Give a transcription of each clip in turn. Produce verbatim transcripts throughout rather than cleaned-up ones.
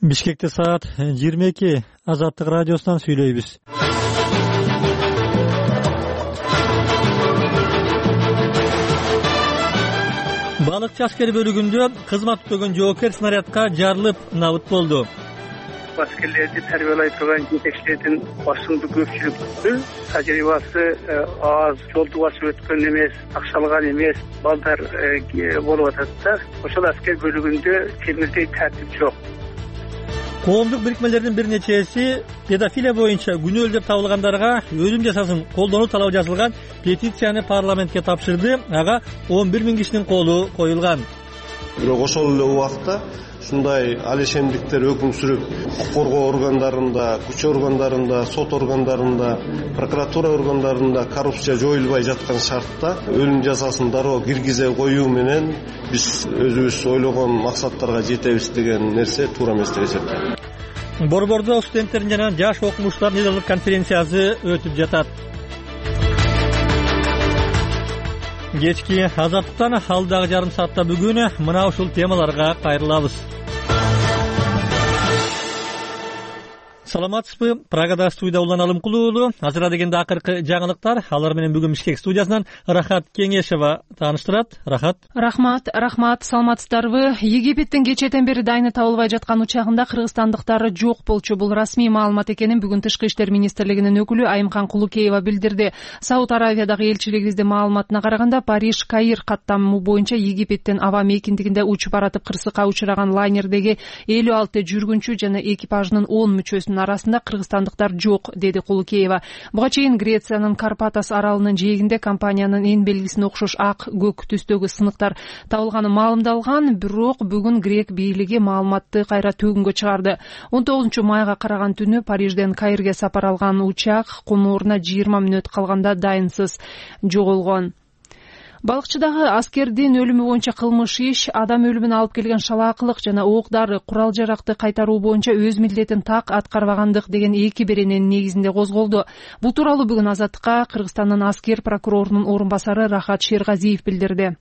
Бишкекте саат жыйырма эки. Азаттык радиосунан сүйлөйбүз. Балыкчы аскер бөлүгүндө кызмат өтөгөн жоокер снарядка жарылып набыт болду. Аскерлерди тарбиялай турган жетекчилердин басымдуу көпчүлүгү тажрыйбасы аз, жолду басып өткөн эмес, акчалган эмес балдар болуп атат да. Ошол аскер бөлүгүндө темирдей тартип жок. Коомдук бирикмелердин бир нечеси педофилия боюнча күнөөлүү деп табылгандарга өлүм жазасын колдонуу талабы жазылган петицияны парламентке тапшырды. Ага он бир миң кишинин колу коюлган. Бирок ошол эле убакта ушундай алешемдиктер өкүм сүрүп, укук коргоо органдарында, күч органдарында, сот органдарында, прокуратура органдарында коррупция жоюлбай жаткан шартта өлүм жазасын дароо киргизе коюу менен биз өзүбүз ойлогон максаттарга жетебиз деген нерсе туура эмес деп эсептейм. Борбордо студенттердин жана жаш окумуштардын недалык конференциясы өтүп жатат. Кечки Азаттыктан алдагы жарым саатта бүгүн мына ушул темаларга кайрылабыз. Саламатсызбы? Прагада студия Улан Алымкулуу. Азыр дегенде акыркы жаңылыктар. Алар менен бүгүн Бишкек студиясынан Рахат Кеңешева тааныштырат. Рахат. Рахмат, рахмат. Саламатсыздарбы? Египеттин кечээден бери дайыны табылбай жаткан учагында кыргызстандыктар жок болчу. Бул расмий маалымат экенин бүгүн Тышкы иштер министрлигинин өкүлү Айымкан Кулукеева билдирди. Сауд Аравиядагы элчилигибиздин маалыматына караганда Париж Каир каттамы боюнча Египеттин аба мейкиндигинде учуп баратып кырсыкка учураган лайнердеги элүү алты жүргүнчү жана экипажынын он мүчөсүнүн арасында кыргызстандыктар жок, деди Кулукеева. Буга чейин Грециянын Карпатас аралынын жээгинде компаниянын эң белгисине окшош ак көк түстөгү сыныктар табылганы маалымдалган, бирок бүгүн грек бийлиги маалыматты кайра төгүнгө чыгарды. он тогузунчу майга караган түнү Парижден Каирге сапар алган учак конууруна жыйырма мүнөт калганда дайынсыз жоголгон. Балыкчыдагы аскердин өлүмү боюнча кылмыш иш, адам өлүмүнө алып келген шалаакылык жана ок-дары, курал жаракты кайтаруу боюнча өз милдетин так аткарбагандык деген эки берененин негизинде козголду. Бул тууралуу бүгүн Азаттыкка Кыргызстандын аскер прокурорунун орун басары Рахат Шергазиев билдирди.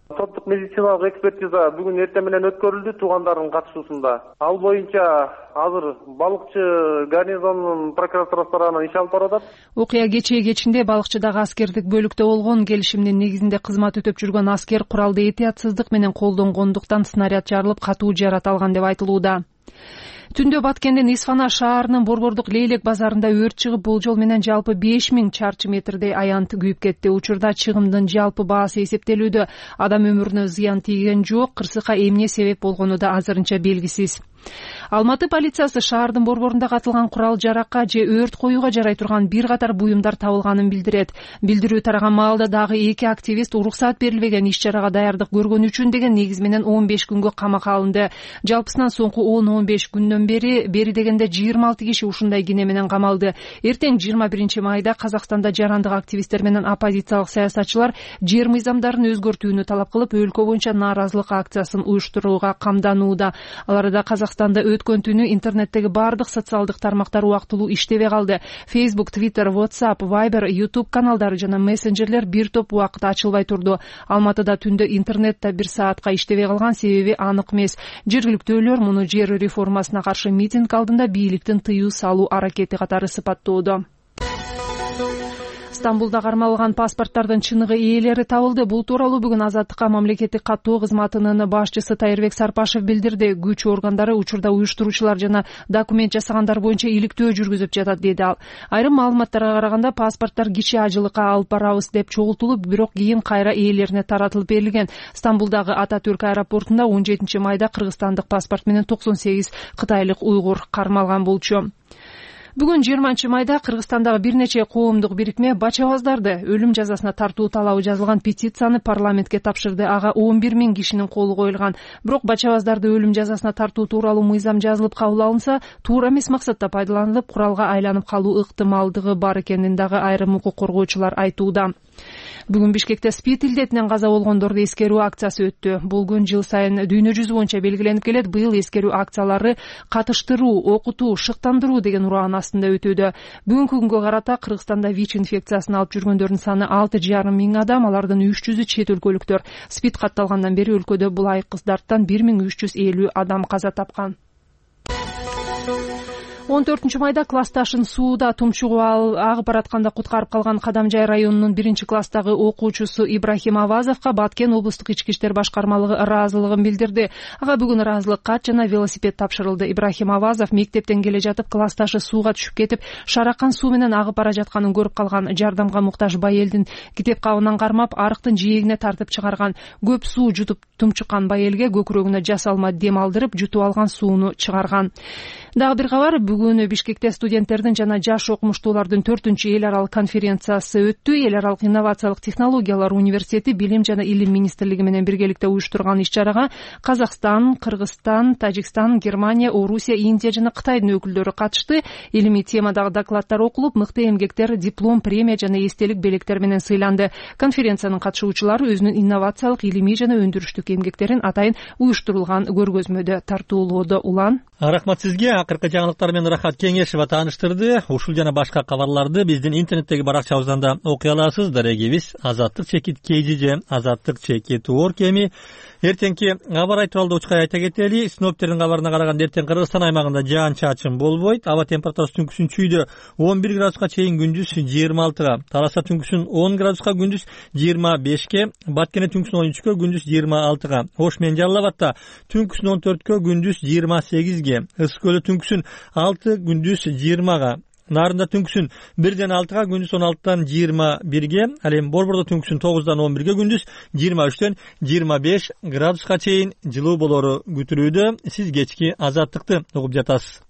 Соттук медициналык экспертиза бүгүн эртең менен өткөрүлдү туугандардын катышуусунда. Ал боюнча азыр балыкчы гарнизонунун прокуратурасы тарабынан иш алып барып атат. Окуя кечээ кечинде балыкчыдагы аскердик бөлүктө болгон, келишимдин негизинде кызмат өтөп жүргөн аскер куралды этиятсыздык менен колдонгондуктан снаряд жарылып катуу жарат алган деп айтылууда. Түндө Баткендин Исфана шаарынын Борбордук Лейлек базарында өрт чыгып, болжол менен жалпы беш миң чарчы метрдей аянт күйүп кетти. Учурда чыгымдын жалпы баасы эсептелүүдө. Адам өмүрүнө зыян тийген жок, кырсыкка эмне себеп болгону да азырынча белгисиз. Алматы полициясы шаардын борборунда катылган курал жаракка же өрт коюуга жарай турган бир катар буюмдар табылганын билдирет. Билдирүү тараган маалда дагы эки активист уруксаат берилбеген иш-чарага даярдык көргөнү үчүн деген негиз менен он беш күнгө камакка алынды. Жалпысынан соңку он он беш күндөн бери бери дегенде жыйырма алты киши ушундай кине менен камалды. Эртең жыйырма биринчи майда Казакстанда жарандык активисттер менен оппозициялык саясатчылар жер мыйзамдарын өзгөртүүнү талап кылып, өлкө боюнча нааразылык акциясын уюштурууга камданууда. Аларда Казакстанда өткөн түнү интернеттеги бардык социалдык тармактар убактылуу иштебей калды. Facebook, Twitter, WhatsApp, Viber, YouTube каналдары жана мессенджерлер бир топ убакыт ачылбай турду. Алматыда түндө интернет да бир саатка иштебей калган, себеби анык эмес. Жергиликтүүлөр муну жер реформасына каршы митинг алдында бийликтин тыюу салуу аракети катары сыпаттоодо. Стамбулда кармалган паспорттардын чыныгы ээлери табылды. Бул тууралуу бүгүн Азаттыкка мамлекеттик каттоо кызматынын башчысы Тайырбек Сарпашев билдирди. Күч органдары учурда уюштуруучулар жана документ жасагандар боюнча иликтөө жүргүзүп жатат, деди ал. Айрым маалыматтарга караганда паспорттор киши ажылыкка алып барабыз деп чогултулуп, бирок кийин кайра ээлерине таратылып берилген. Стамбулдагы Ататүрк аэропортунда он жетинчи майда кыргызстандык паспорт менен токсон сегиз кытайлык уйгур кармалган болчу. Бүгүн жыйырманчы майда Кыргызстандагы бир нече коомдук бирикме бачабаздарды өлүм жазасына тартуу талабы жазылган петицияны парламентке тапшырды. Ага он бир миң кишинин колу коюлган. Бирок бачабаздарды өлүм жазасына тартуу тууралуу мыйзам жазылып кабыл алынса, туура эмес максатта пайдаланылып, куралга айланып калуу ыктымалдыгы бар экенин дагы айрым укук коргоочулар айтууда. Бүгүн Бишкекте СПИД илдетинен каза болгондорду эскерүү акциясы өттү. Бул күн жыл сайын дүйнө жүзү боюнча белгиленип келет. Быйыл эскерүү акциялары катыштыруу, окутуу, шыктандыруу деген ураан астында өтүүдө. Бүгүнкү күнгө карата Кыргызстанда ВИЧ инфекциясын алып жүргөндөрдүн саны алты жарым миң адам, алардын үч жүзү чет өлкөлүктөр. СПИД катталгандан бери өлкөдө бул айкыздардан бир миң үч жүз элүү адам каза тапкан. он төртүнчү майда классташын сууда тумчугуп агып баратканда куткарып калган Кадамжай районунун биринчи класстагы окуучусу Ибрахим Авазовго Баткен облустук ички иштер башкармалыгы ыраазылыгын билдирди. Ага бүгүн ыраазылык кат жана велосипед тапшырылды. Ибрахим Авазов мектептен келе жатып классташы сууга түшүп кетип, шаракан суу менен агып бара жатканын көрүп калган. Жардамга муктаж байелдин китеп кабынан кармап, арыктын жээгине тартып чыгарган. Көп суу жутуп тумчуккан байелге көкүрөгүнө жасалма дем алдырып, жутуп алган сууну чыгарган. Дагы бир кабар, бүгүн Бишкекте студенттердин жана жаш окумуштуулардын төртүнчү эл аралык конференциясы өттү. Эл аралык инновациялык технологиялар университети Билим жана Илим министрлиги менен биргеликте уюштурган иш-чарага Казакстан, Кыргызстан, Тажикстан, Германия, Орусия, Индия жана Кытайдын өкүлдөрү катышты. Илимий темадагы докладдар окулуп, мыкты эмгектер диплом, премия жана эстелик белектер менен сыйланды. Конференциянын катышуучулары өзүнүн инновациялык, илимий жана өндүрүштүк эмгектерин атайын уюштурулган көргөзмөдө тартуулоодо. Улан Рахмат сизге. Акыркы жаңылыктар менен Рахат Кеңешева тааныштырды. Ушул жана башка кабарларды биздин интернеттеги баракчабыздан да окуй аласыз. Дарегибиз азаттык чекит kgj азаттык чекит орг эми. Эртеңки кабар айтыбалда учкай айта кетели. Синоптиктердин кабарына караганда эртең Кыргызстан аймагында жаан-чачын болбойт. Аба температурасы түнкүсүн чүйдө он бир градуска чейин, күндүз жыйырма алтыга. Тараса түнкүсүн он градуска, күндүз жыйырма бешке. Баткене түнкүсүн он үчкө, күндүз жыйырма алтыга. Ош менен Жалал абадта түнкүсүн он төрткө, күндүз жыйырма сегизге. Ысык көлдө түнкүсүн алты, күндүз жыйырмага. Нарында түнкүсүн бирден алтыга, күндүз он алтыдан жыйырма бирге. Ал эми Борбордо түнкүсүн тогуздан он бирге, күндүз жыйырма үчтөн жыйырма беш градуска чейин жылуу болору күтүлүүдө. Сиз кечки азаттыкты угуп жатасыз.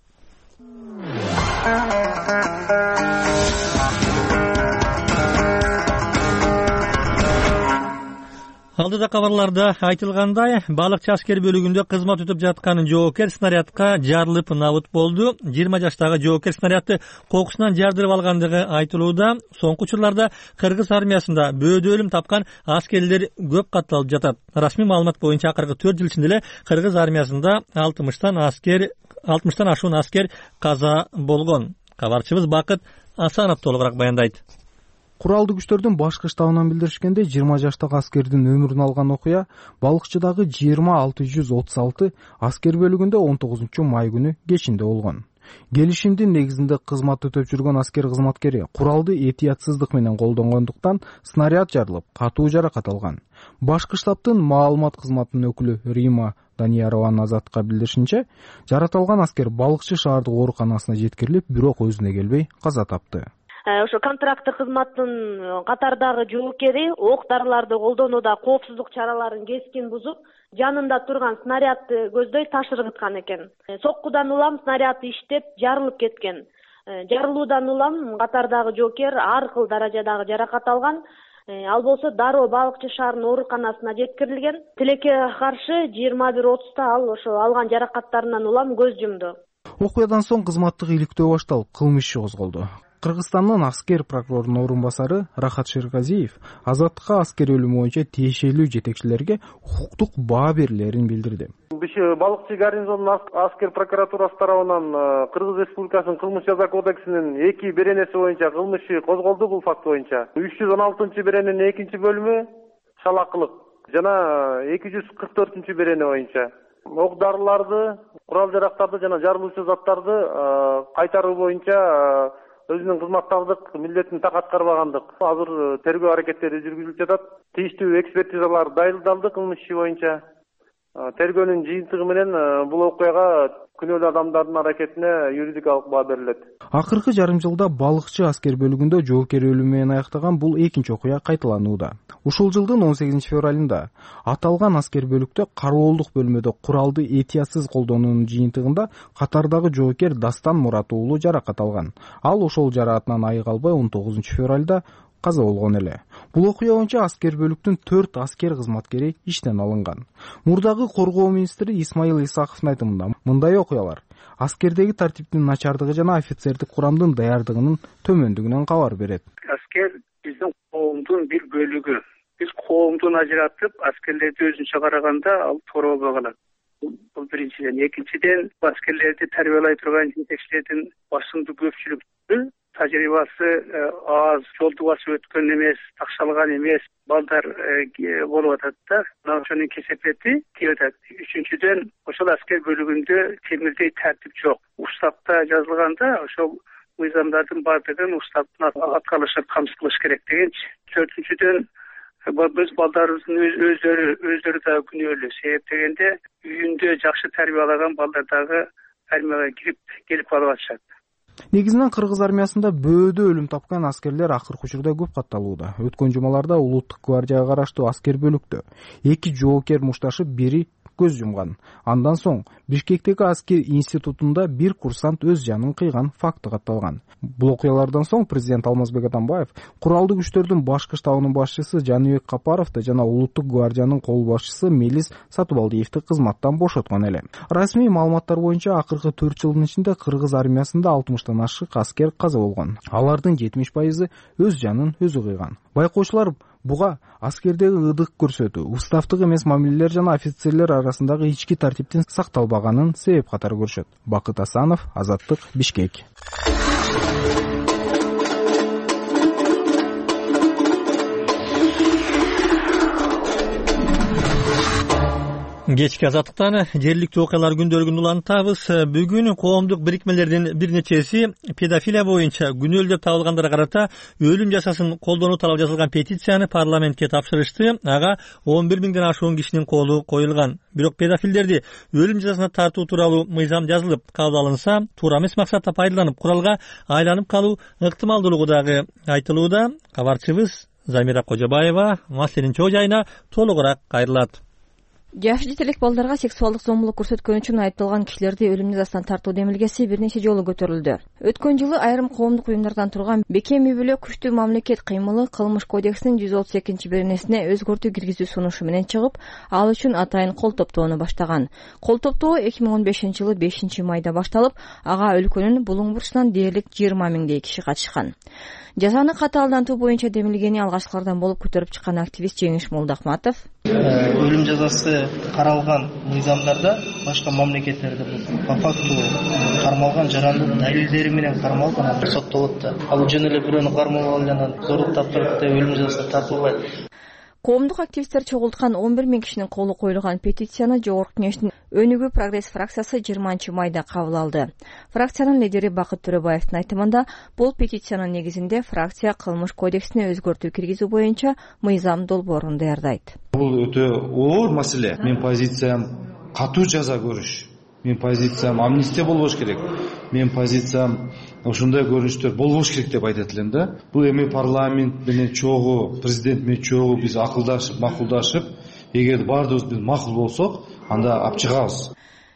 Алдыда кабарларда айтылгандай, балыкчы аскер бөлүгүндө кызмат өтүп жаткан жоокер снарядка жарылып набыт болду. жыйырма жаштагы жоокер снарядды кокусунан жардырып алгандыгы айтылууда. Соңку учурларда Кыргыз армиясында бөөдө өлүм тапкан аскерлер көп катталып жатат. Расмий маалымат боюнча акыркы төрт жыл ичинде эле Кыргыз армиясында алтымыштан аскер алтымыштан ашуун аскер каза болгон. Кабарчыбыз Бакыт Асанов толугураак баяндайт. Куралдуу күчтөрдүн башкы штабынан билдиришкенде, жыйырма жаштагы аскердин өмүрүн алган окуя Балыкчыдагы жыйырма алты жүз отуз алты аскер бөлүгүндө он тогузунчу май күнү кечинде болгон. Келишимдин негизинде кызмат өтөп жүргөн аскер кызматкери куралды этиятсыздык менен колдонгондуктан снаряд жарылып, катуу жаракат алган. Башкы штабтын маалымат кызматынын өкүлү Рима Даниярованын Азаттыкка билдиришинче, жараталган аскер Балыкчы шаардык ооруканасына жеткирилип, бирок өзүнө келбей каза тапты. Ошо контракттык кызматтын катардагы жоокери ок дарыларды колдонууда коопсуздук чараларын кескин бузуп, жанында турган снарядды көздөй таш ыргыткан экен. Соккудан улам снаряд иштеп жарылып кеткен. Жарылуудан улам катардагы жоокер ар кыл даражадагы жаракат алган. Ал болсо дароо Балыкчы шаарынын ооруканасына жеткирилген. Тилекке каршы жыйырма бир отузда ал ошо алган жаракаттарынан улам көз жумду. Окуядан соң кызматтык иликтөө башталып, кылмыш иши козголду. Кыргызстандын аскер прокурорунун орун басары Рахат Шерказиев Азаттыкка аскер өлүмү боюнча тиешелүү жетекчилерге укуктук баа берилерин билдирди. Балыкчы гарнизонунун аскер прокуратурасы тарабынан Кыргыз Республикасынын кылмыш жаза кодексинин эки беренеси боюнча кылмыш иши козголду. Бул факт боюнча үч жүз он алтынчы берененин экинчи бөлүмү шалакылык жана эки жүз кырк төртүнчү берене боюнча ок дарыларды, курал жарактарды жана жарылуучу заттарды кайтаруу боюнча өзүнүн кызматтардык милдетин так аткарбагандык. Азыр тергөө аракеттери жүргүзүлүп жатат. Тийиштүү экспертизалар дайындалды кылмыш иши боюнча. Тергөөнүн жыйынтыгы менен бул окуяга күнөөлүү адамдардын аракетине юридикалык баа берилет. Акыркы жарым жылда Балыкчы аскер бөлүгүндө жоокер өлүмү менен аяктаган бул экинчи окуя кайталанууда. Ушул жылдын он сегизинчи февралында аталган аскер бөлүктө кароолдук бөлмөдө куралды этиятсыз колдонуунун жыйынтыгында катардагы жоокер Дастан Мурат уулу жаракат алган. Ал ошол жараатынан айыга албай он тогузунчу февралда каза болгон эле. Бул окуя боюнча аскер бөлүктүн төрт аскер кызматкери иштен алынган. Мурдагы коргоо министри Исмаил Исаковдун айтымында мындай окуялар аскердеги тартиптин начардыгы жана офицердик курамдын даярдыгынын төмөндүгүнөн кабар берет. Аскер биздин коомдун бир бөлүгү. Биз коомдун ажыратып, аскерлерди өзүнчө караганда ал туура болбой калат. Бул биринчиден. Экинчиден, аскерлерди тарбиялай турган жетекчилердин басымдуу көпчүлүгү тажрыйбасы аз, жолду басып өткөн эмес, такшалган эмес балдар болуп атат да. Мына ошонун кесепети тийип атат. Үчүнчүдөн, ошол аскер бөлүгүндө темирдей тартип жок. Уставда жазылганда ошол мыйзамдардын баардыгын уставдын аткарышы камсыз кылыш керек дегенчи. Төртүнчүдөн, биз балдарыбыздын өздөрү өздөрү да күнөөлүү. Себеп дегенде үйүндө жакшы тарбиялаган балдар дагы армияга кирип келип калып атышат. Негизинен кыргыз армиясында бөөдө өлүм тапкан аскерлер акыркы учурда көп катталууда. Өткөн жумаларда улуттук гвардияга караштуу аскер бөлүктө эки жоокер мушташып, бири көз жумган. Андан соң Бишкектеги аскер институтунда бир курсант өз жанын кыйган факты катталган. Бул окуялардан соң президент Алмазбек Атамбаев куралдуу күчтөрдүн башкы штабынын башчысы Жаныбек Капаровду жана улуттук гвардиянын кол башчысы Мелис Сатыбалдиевди кызматтан бошоткон эле. Расмий маалыматтар боюнча акыркы төрт жылдын ичинде кыргыз армиясында алтымыштан ашык аскер каза болгон. Алардын жетимиш пайызы өз жанын өзү кыйган. Байкоочулар буга аскердеги ыдык көрсөтүү, уставдык эмес мамилелер жана офицерлер арасындагы ички тартиптин сакталбаганын себеп катары көрүшөт. Бакыт Асанов, Азаттык, Бишкек. Кечки Азаттыктан жергиликтүү окуялар күндөлүгүн улантабыз. Бүгүн коомдук бирикмелердин бир нечеси педофилия боюнча күнөөлүү деп табылгандарга карата өлүм жазасын колдонуу талап жазылган петицияны парламентке тапшырышты. Ага он бир миңден ашуун кишинин колу коюлган. Бирок педофилдерди өлүм жазасына тартуу тууралуу мыйзам жазылып кабыл алынса, туура эмес максатта пайдаланып куралга айланып калуу ыктымалдуулугу дагы айтылууда. Кабарчыбыз Замира Кожобаева маселенин чоо жайына толугураак кайрылат. Жаш жетелик балдарга сексуалдык зомбулук көрсөткөн үчүн айыпталган кишилерди өлүм жазасына тартуу демилгеси бир нече жолу көтөрүлдү. Өткөн жылы айрым коомдук уюмдардан турган Бекем үй бүлө күчтүү мамлекет кыймылы кылмыш кодексинин жүз отуз экинчи беренесине өзгөртүү киргизүү сунушу менен чыгып, ал үчүн атайын кол топтоону баштаган. Кол топтоо эки миң он бешинчи жылы бешинчи майда башталып, ага өлкөнүн булуң бурчунан дээрлик жыйырма миңдей киши катышкан. Жазаны катаалдантуу боюнча демилгени алгачкылардан болуп көтөрүп чыккан активист Жеңиш Молдахматов өлүм жазасы каралган мыйзамдарда башка мамлекеттерде по факту кармалган жарандын далилдери менен кармалып анан соттолот да. Ал жөн эле бирөөнү кармалып алып анан зорлук таптырып деп өлүм жазасына тартылбайт. Коомдук активисттер чогулткан он бир миң кишинин колу коюлган петицияны Жогорку Кеңештин Өнүгүү прогресс фракциясы жыйырманчы майда кабыл алды. Фракциянын лидери Бакыт Төрөбаевдин айтымында, бул петициянын негизинде фракция кылмыш кодексине өзгөртүү киргизүү боюнча мыйзам долбоорун даярдайт. Бул өтө оор маселе. Мен позициям катуу жаза көрүш. Мен позициям амнистия болбош керек. Мен позициям ошондой көрүнүштөр болбош керек деп айтат элем да. Бул эми парламент менен чогуу, президент менен чогуу биз акылдашып, макулдашып, эгер баардыгыбыз биз макул болсок, анда алып чыгабыз.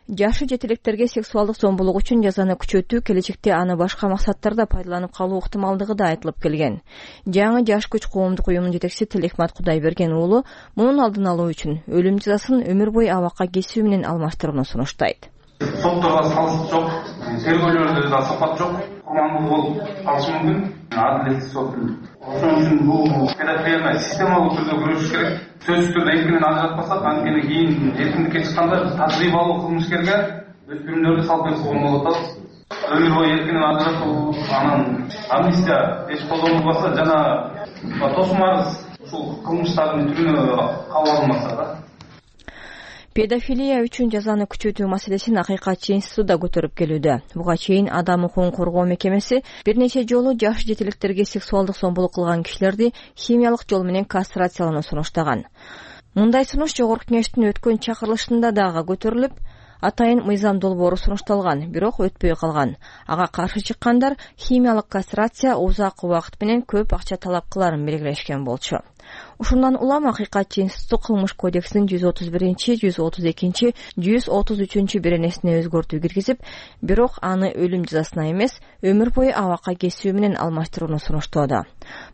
Жашы жетелектерге сексуалдык зомбулук үчүн жазаны күчөтүү келечекте аны башка максаттарда пайдаланып калуу ыктымалдыгы да айтылып келген. Жаңы Жаш күч коомдук уюмунун жетекчиси Тилехмат Кудайберген уулу мунун алдын алуу үчүн өлүм жазасын өмүр бою абакка кесүү менен алмаштырууну сунуштайт. Сотторго салыш жок, тергөөлөрдө да сапат жок, курмандуу болуп калышы мүмкүн. Адилеттик сот. Ошон үчүн бул педофилияга системалык түрдө күрөшүш керек. Сөзсүз түрдө эркинен ажыратпасак, анткени кийин эркиндикке чыкканда тажрыйбалуу кылмышкерге өспүрүмдөрдү салып берсе болмок атат. Өмүр бою эркинен ажыратуу, анан амнистия эч колдонулбаса жана тосум арыз ушул кылмыштардын түрүнө кабыл алынмаса да. Педофилия үчүн жазаны күчөтүү маселесин Акыйкатчы институты да көтөрүп келүүдө. Буга чейин Адам укугун коргоо мекемеси бир нече жолу жаш жетелектерге сексуалдык зомбулук кылган кишилерди химиялык жол менен кастрациялоону сунуштаган. Мындай сунуш Жогорку Кеңештин өткөн чакырылышында дагы көтөрүлүп, атайын мыйзам долбоору сунушталган, бирок өтпөй калган. Ага каршы чыккандар химиялык кастрация узак убакыт менен көп акча талап кыларын белгилешкен болчу. Ушундан улам Акыйкатчы институту кылмыш кодексинин жүз отуз биринчи, жүз отуз экинчи, жүз отуз үчүнчү беренесине өзгөртүү киргизип, бирок аны өлүм жазасына эмес, өмүр бою абакка кесүү менен алмаштырууну сунуштоодо.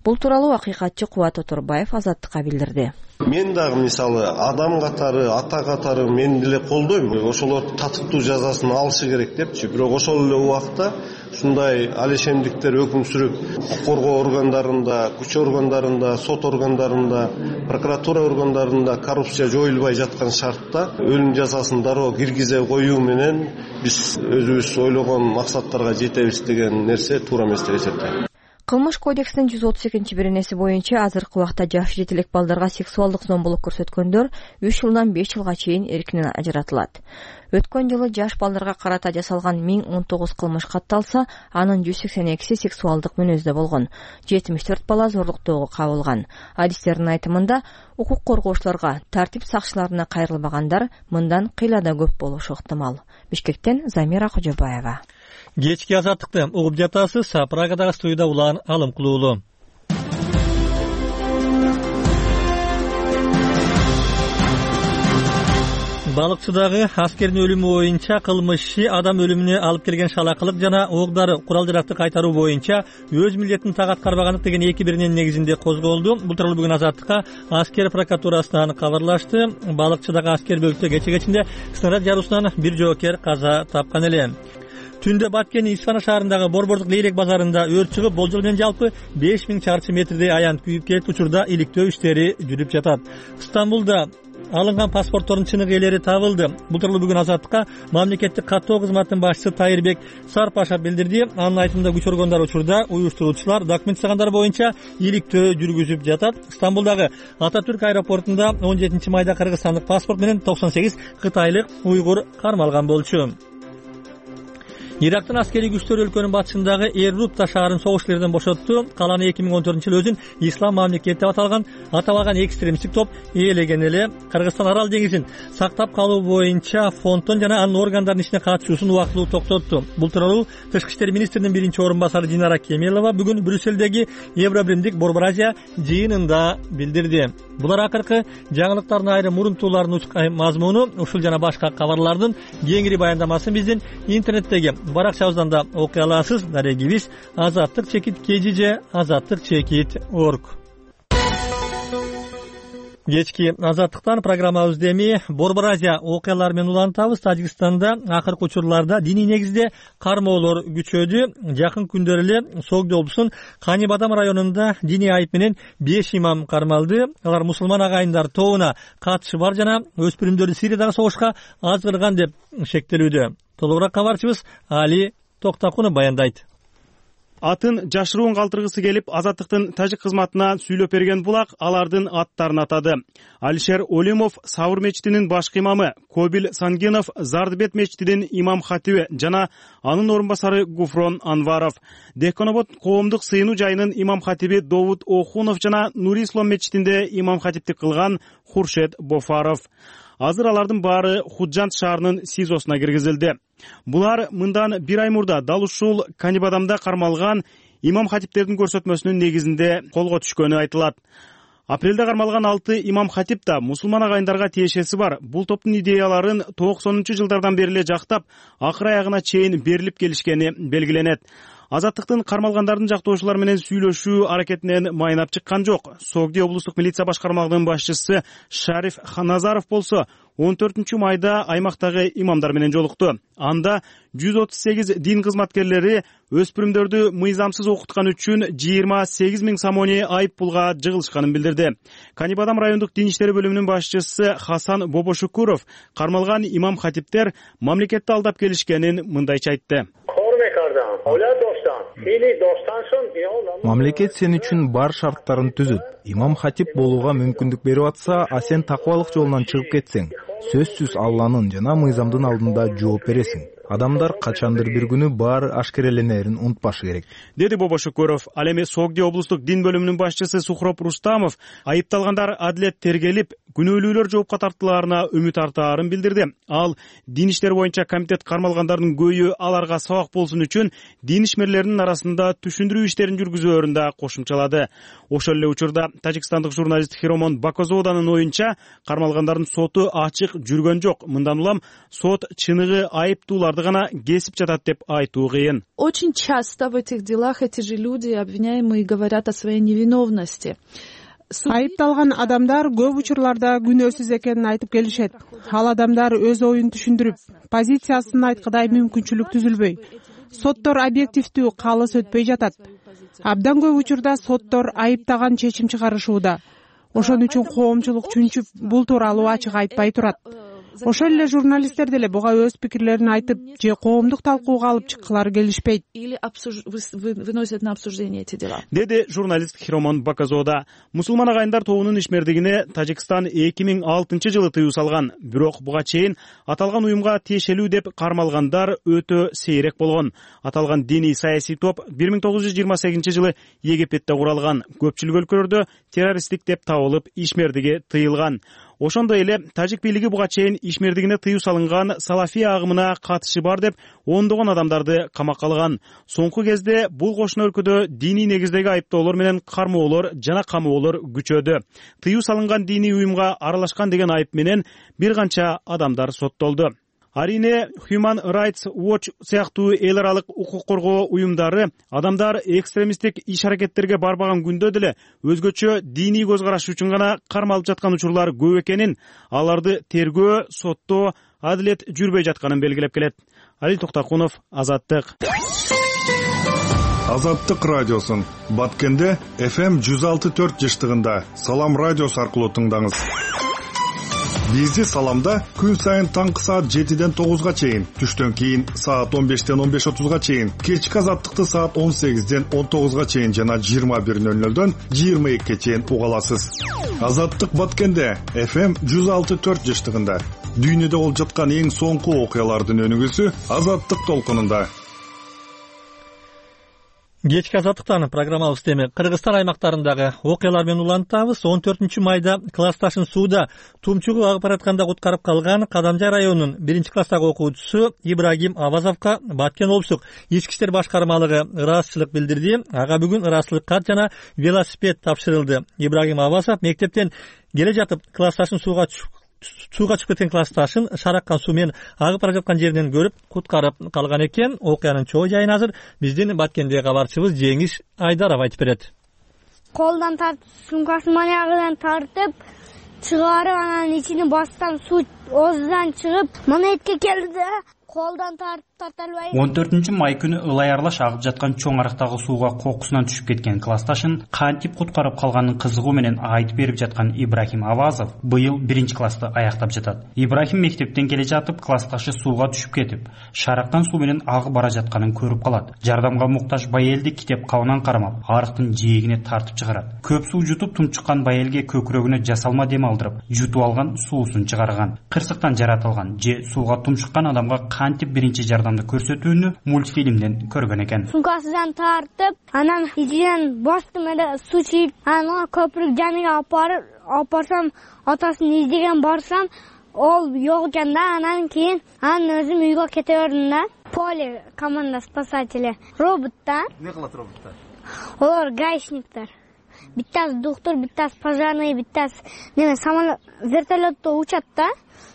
Бул тууралуу Акыйкатчы Кубат Оторбаев Азаттыкка билдирди. Мен дагы мисалы адам катары, ата катары мен деле колдойм. Ошолор татыктуу жазасын алышы керек депчи. Бирок ошол эле убакта ушундай алешемдиктер өкүм сүрүп, укук коргоо органдарында, күч органдарында, сот органдарында, прокуратура органдарында коррупция жоюлбай жаткан шартта өлүм жазасын дароо киргизе коюу менен биз өзүбүз ойлогон максаттарга жетебиз деген нерсе туура эмес деп эсептейм. Кылмыш кодексинин жүз отуз экинчи беренеси боюнча азыркы убакта жаш жетелек балдарга сексуалдык зомбулук көрсөткөндөр үч жылдан беш жылга чейин эркинен ажыратылат. Өткөн жылы жаш балдарга карата жасалган миң он тогуз кылмыш катталса, анын жүз сексен экиси сексуалдык мүнөздө болгон. жетимиш төрт бала зорлуктоого кабылган. Адистердин айтымында, укук коргоочуларга, тартип сакчыларына кайрылбагандар мындан кыйла да көп болушу ыктымал. Бишкектен Замира Кожобаева. Кечки азаттыкты угуп жатасыз. Прагадагы студияда улан Алым Кулуулу. Балыкчыдагы аскердин өлүмү боюнча кылмышчы адам өлүмүнө алып келген шалакылык жана оокдары курал-жаракты кайтаруу боюнча өз милдетин так аткарбагандык деген эки биринин негизинде козголду. Бул тууралуу бүгүн Азаттыкка аскер прокуратурасынан кабарлашты. Балыкчыдагы аскер бөлүктө кече кечинде снаряд жаруусунан бир жоокер каза тапкан эле. Түндө Баткенин Исфана шаарындагы Борбордук Лейлек базарында өрт чыгып, болжол менен жалпы беш миң чарчы метрдей аянт күйүп кетти. Учурда иликтөө иштери жүрүп жатат. Стамбулда алынган паспорттордун чыныгы ээлери табылды. Бул тууралуу бүгүн Азаттыкка мамлекеттик каттоо кызматынын башчысы Тайырбек Сарпашев билдирди. Анын айтымында күч органдары учурда уюштуруучулар документ жасагандар боюнча иликтөө жүргүзүп жатат. Стамбулдагы Ататүрк аэропортунда он жетинчи майда кыргызстандык паспорт менен токсон сегиз кытайлык уйгур кармалган болчу. Ирактын аскерий күчтөрү өлкөнүн батышындагы Эррупта шаарын согуш илерден бошотту. Каланы эки миң он төртүнчү жылы өзүн ислам мамлекети деп аталган аталган экстремисттик топ ээлеген эле. Кыргызстан Арал деңизин сактап калуу боюнча фонддон жана анын органдарынын ишине катышуусун убактылуу токтотту. Бул тууралуу Тышкы иштер министринин биринчи орун басары Динара Кемелова бүгүн Брюссельдеги Евробиримдик Борборазия жыйынында билдирди. Булар акыркы жаңылыктардын айрым мурунтууларынын мазмуну, ушул жана башка кабарлардын кеңири баяндамасын биздин интернеттеги баракчабыздан да окуй аласыз. Дарегибиз азаттык чекит kgj азаттык чекит точка орг. Кечки азаттыктан программабызды эми Борборазия окуялары менен улантабыз. Тажикстанда акыркы учурларда диний негизде кармоолор күчөдү. Жакын күндөр эле Согди облусунун Канибадам районунда диний айып менен беш имам кармалды. Алар мусулман агайындар тобуна катышы бар жана өспүрүмдөрдү Сириядагы согушка азгырган деп шектелүүдө. Толугураак кабарчыбыз Али Токтакунов баяндайт. Атын жашыруун калтыргысы келип, Азаттыктын тажик кызматына сүйлөп берген булак алардын аттарын атады. Алишер Олимов Сабыр мечитинин башкы имамы, Кобил Сангенов Зардыбет мечитинин имам хатиби жана анын орун басары Гуфрон Анваров, Деконобод коомдук сыйынуу жайынын имам хатиби Довуд Охунов жана Нури Ислам мечитинде имам хатиптик кылган Хуршед Бофаров. Азыр алардын баары Худжант шаарынын СИЗОсуна киргизилди. Булар мындан бир ай мурда дал ушул Канибадамда кармалган имам хатиптердин көрсөтмөсүнүн негизинде колго түшкөнү айтылат. Апрелде кармалган алты имам хатип да мусулман агайындарга тиешеси бар. Бул топтун идеяларын токсонунчу жылдардан бери эле жактап, акыр аягына чейин берилип келишкени белгиленет. Азаттыктын кармалгандардын жактоочулары менен сүйлөшүү аракетинен майнап чыккан жок. Согди облустук милиция башкармалыгынын башчысы Шариф Ханазаров болсо он төртүнчү майда аймактагы имамдар менен жолукту. Анда жүз отуз сегиз дин кызматкерлери өспүрүмдөрдү мыйзамсыз окуткан үчүн жыйырма сегиз миң сомони айып пулга жыгылышканын билдирди. Канибадам райондук дин иштери бөлүмүнүн башчысы Хасан Бобошукуров кармалган имам хатиптер мамлекетти алдап келишкенин мындайча айтты. Мамлекет сен үчүн бар шарттарын түзүт. Имам хатип болууга мүмкүндүк берип атса, а сен такыбалык жолунан чыгып кетсең, сөзсүз Алланын жана мыйзамдын алдында жооп бересиң. Адамдар качандыр бир күнү баары ашкереленерин унутпашы керек, деди Бобошукуров. Ал эми Согди облустук дин бөлүмүнүн башчысы Сухроп Рустамов айыпталгандар адилет тергелип, күнөөлүүлөр жоопко тартылаарына үмүт артаарын билдирди. Ал дин иштери боюнча комитет кармалгандардын көйү аларга сабак болсун үчүн дин ишмерлеринин арасында түшүндүрүү иштерин жүргүзөөрүн да кошумчалады. Ошол эле учурда тажикстандык журналист Хиромон Бакозоданын оюнча кармалгандардын соту ачык жүргөн жок. Мындан улам сот чыныгы айыптууларды гана кесип жатат деп айтуу кыйын. Очень часто в этих делах эти же люди, обвиняемые, говорят о своей невиновности. Айыпталган адамдар көп учурларда күнөөсүз экенин айтып келишет. Ал адамдар өз оюн түшүндүрүп, позициясын айткыдай мүмкүнчүлүк түзүлбөй, соттор объективдүү калыс өтпөй жатат. Абдан көп учурда соттор айыптаган чечим чыгарышууда. Ошон үчүн коомчулук чүнчүп бул тууралуу ачык айтпай турат. Ошол эле журналисттер деле буга өз пикирлерин айтып же коомдук талкууга алып чыккылары келишпейт. Или выносят на обсуждение эти дела. Деди журналист Хиромон Бакозода. Мусулман агайындар тобунун ишмердигине Тажикстан эки миң алтынчы жылы тыюу салган. Бирок буга чейин аталган уюмга тиешелүү деп кармалгандар өтө сейрек болгон. Аталган диний саясий топ бир миң тогуз жүз жыйырма сегизинчи жылы Египетте куралган. Көпчүлүк өлкөлөрдө террористтик деп табылып, ишмердиги тыйылган. Ошондой эле тажик бийлиги буга чейин ишмердигине тыюу салынган салафий агымына катышы бар деп ондогон адамдарды камакка алган. Соңку кезде бул кошуна өлкөдө диний негиздеги айыптоолор менен кармоолор жана камоолор күчөдү. Тыюу салынган диний уюмга аралашкан деген айып менен бир канча адамдар соттолду. Арине Human Rights Watch сыяктуу эл аралык укук коргоо уюмдары адамдар экстремисттик иш-аракеттерге барбаган күндө деле өзгөчө диний көз караш үчүн гана кармалып жаткан учурлар көп экенин, аларды тергөө, соттоо, адилет жүрбөй жатканын белгилеп келет. Али Токтакунов, Азаттык. Азаттык радиосун Баткенде эф эм жүз алты төрт жыштыгында Салам радиосу аркылуу тыңдаңыз. Бизди Саламда күн сайын таңкы саат жетиден тогузга чейин, түштөн кийин саат он бештен он беш отузга чейин, кечки Азаттыкты саат он сегизден он тогузга чейин жана жыйырма бир нөл нөлдөн жыйырма экиге чейин уга аласыз. Азаттык Баткенде эф эм жүз алты төрт жыштыгында дүйнөдө болуп жаткан эң соңку окуялардын өнүгүүсү Азаттык толкунунда. Кечки Азаттыктан программабызды эми Кыргызстан аймактарындагы окуялар менен улантабыз. он төртүнчү майда классташын сууда тумчугуп агып баратканда куткарып калган Кадамжай районунун биринчи класстагы окуучусу Ибрагим Авазовго Баткен облустук ички иштер башкармалыгы ыраазычылык билдирди. Ага бүгүн ыраазычылык кат жана велосипед тапшырылды. Ибрагим Авазов мектептен келе жатып классташын сууга сууга чыгып кеткен классташын шараккан суу менен агып бара жаткан жеринен көрүп куткарып калган экен. Окуянын чоо жайын азыр биздин Баткендеги кабарчыбыз Жеңиш Айдаров айтып берет. Колдон тартып, сумкасын маягынан тартып чыгарып, анан ичине бастан суу ооздон чыгып, монетке келди. Колдон тартып тарта албай. он төртүнчү май күнү ылай аралаш агып жаткан чоң арыктагы сууга кокусунан түшүп кеткен классташын кантип куткарып калганын кызыгуу менен айтып берип жаткан Ибрахим Авазов быйыл биринчи классты аяктап жатат. Ибрахим мектептен келе жатып, классташы сууга түшүп кетип, шараккан суу менен агып бара жатканын көрүп калат. Жардамга муктаж байелди китеп кабынан кармап, арыктын жээгине тартып чыгарат. Көп суу жутуп тумчуккан байелге көкүрөгүнө жасалма дем алдырып, жутуп алган суусун чыгарган. Кырсыктан жаратылган же сууга тумшуккан адамга кантип биринчи жардамды көрсөтүүнү мультфильмден көргөн экен. Сумкасынан тартып, анан ичинен бастым эле суу чыйып, анан көпүрүк жаныга алып барып, алып барсам, атасын издеген барсам, ол жок экен да. Анан кийин анан өзүм үйгө кете бердим да. Поле команда спасатели. Робот да. Эмне кылат роботтор? Олар гаишниктер. Биттасы доктор, биттасы пожарный, биттасы неме самолет, вертолетто учат да.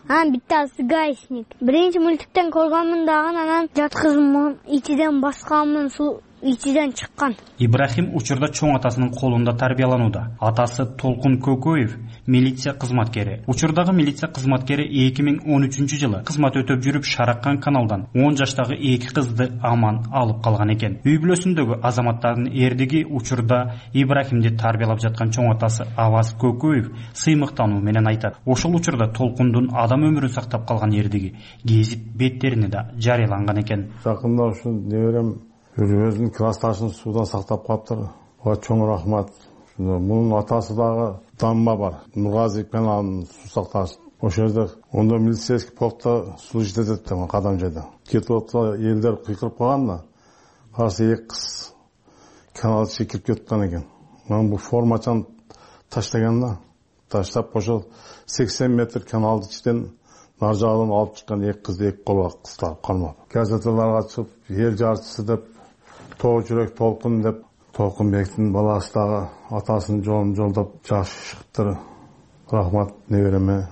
Анан биттасы гаишник. Биринчи мультиктен көргөнмүн дагы, анан жаткызым ичиден басканмын, суу ичиден чыккан. Ибрахим учурда чоң атасынын колунда тарбияланууда. Атасы Толкун Көкөев милиция кызматкери. Учурдагы милиция кызматкери эки миң он үчүнчү жылы кызмат өтөп жүрүп Шараккан каналдан он жаштагы эки кызды аман алып калган экен. Үй бүлөсүндөгү азаматтардын эрдиги учурда Ибрахимди тарбиялап жаткан чоң атасы Аваз Көкөев сыймыктануу менен айтат. Ошол учурда Толкундун адам өмүрүн сактап калган эрдиги гезит беттерине да жарыяланган экен. Жакында ушу неберем өзүнүн классташын суудан сактап калыптыр. Ага чоң рахмат. Мунун атасы дагы Дамма бар. Нургазик менен анын суу сакташ. ошол жерде ондо милицейский полкто служить этет да кадам жайда кетип атса элдер кыйкырып калган да караса эки кыз канал ичине кирип кеткен экен. Мен бул формачаны таштаган да таштап ошол сексен метр каналдын ичинен нар жагынан алып чыккан эки кызды эки колго кыстап кармап газеталарга чыгып эл жарчысы деп тоо жүрөк толкун деп Толкунбектин баласы дагы атасынын жолун жолдоп жашыптыр. Рахмат небереме.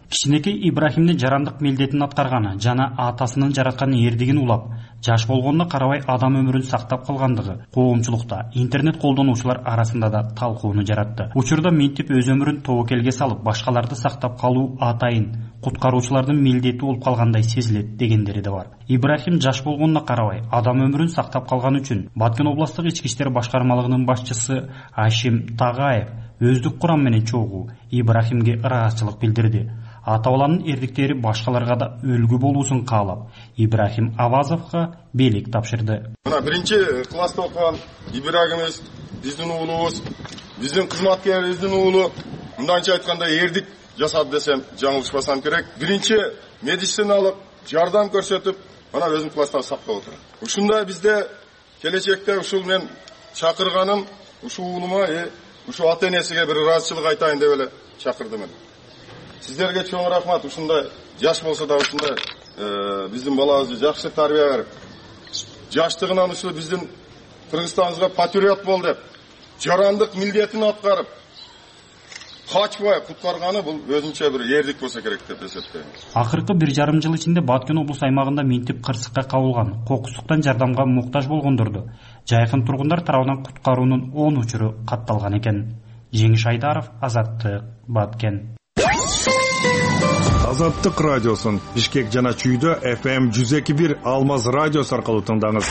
Кичинекей Ибрахимдин жарандык милдетин аткарганы жана атасынын жараткан эрдигин улап, жаш болгонуна карабай адам өмүрүн сактап калгандыгы коомчулукта, интернет колдонуучулар арасында да талкууну жаратты. Учурда минтип өз өмүрүн тобокелге салып, башкаларды сактап калуу атайын куткаруучулардын милдети болуп калгандай сезилет дегендери да бар. Ибрахим жаш болгонуна карабай адам өмүрүн сактап калган үчүн Баткен областык ички иштер башкармалыгынын башчысы Ашим Тагаев өздүк курам менен чогуу Ибрахимге ыраазычылык билдирди. Ата баланын эрдиктери башкаларга да үлгү болуусун каалап, Ибрахим Авазовго бийлик тапшырды. Мына биринчи класста окуган Ибрахимибиз биздин уулубуз, биздин кызматкерибиздин уулу, мындайча айтканда эрдик жасады десем жаңылышпасам керек. Биринчи медициналык жардам көрсөтүп, мына өзүм класста сактап отурат. Ушундай бизде келечекте ушул мен чакырганым, ушул уулума, ушул ата энесиге бир ыраазычылык айтайын деп эле чакырдым. Сиздерге чоң рахмат. Ушундай жаш болсо да ушундай биздин балабызды жакшы тарбия берип, жаштыгынан ушул биздин Кыргызстаныбызга патриот бол деп, жарандык милдетин аткарып, качпай куткарганы бул өзүнчө бир эрдик болсо керек деп эсептейм. Акыркы бир жарым жыл ичинде Баткен облус аймагында минтип кырсыкка кабылган, кокустуктан жардамга муктаж болгондорду жайкын тургундар тарабынан куткаруунун он учуру катталган экен. Жеңиш Айдаров, Азаттык, Баткен. Азаттык радиосун Бишкек жана Чүйдө эф эм жүз эки бир Алмаз радиосу аркылуу тыңдаңыз.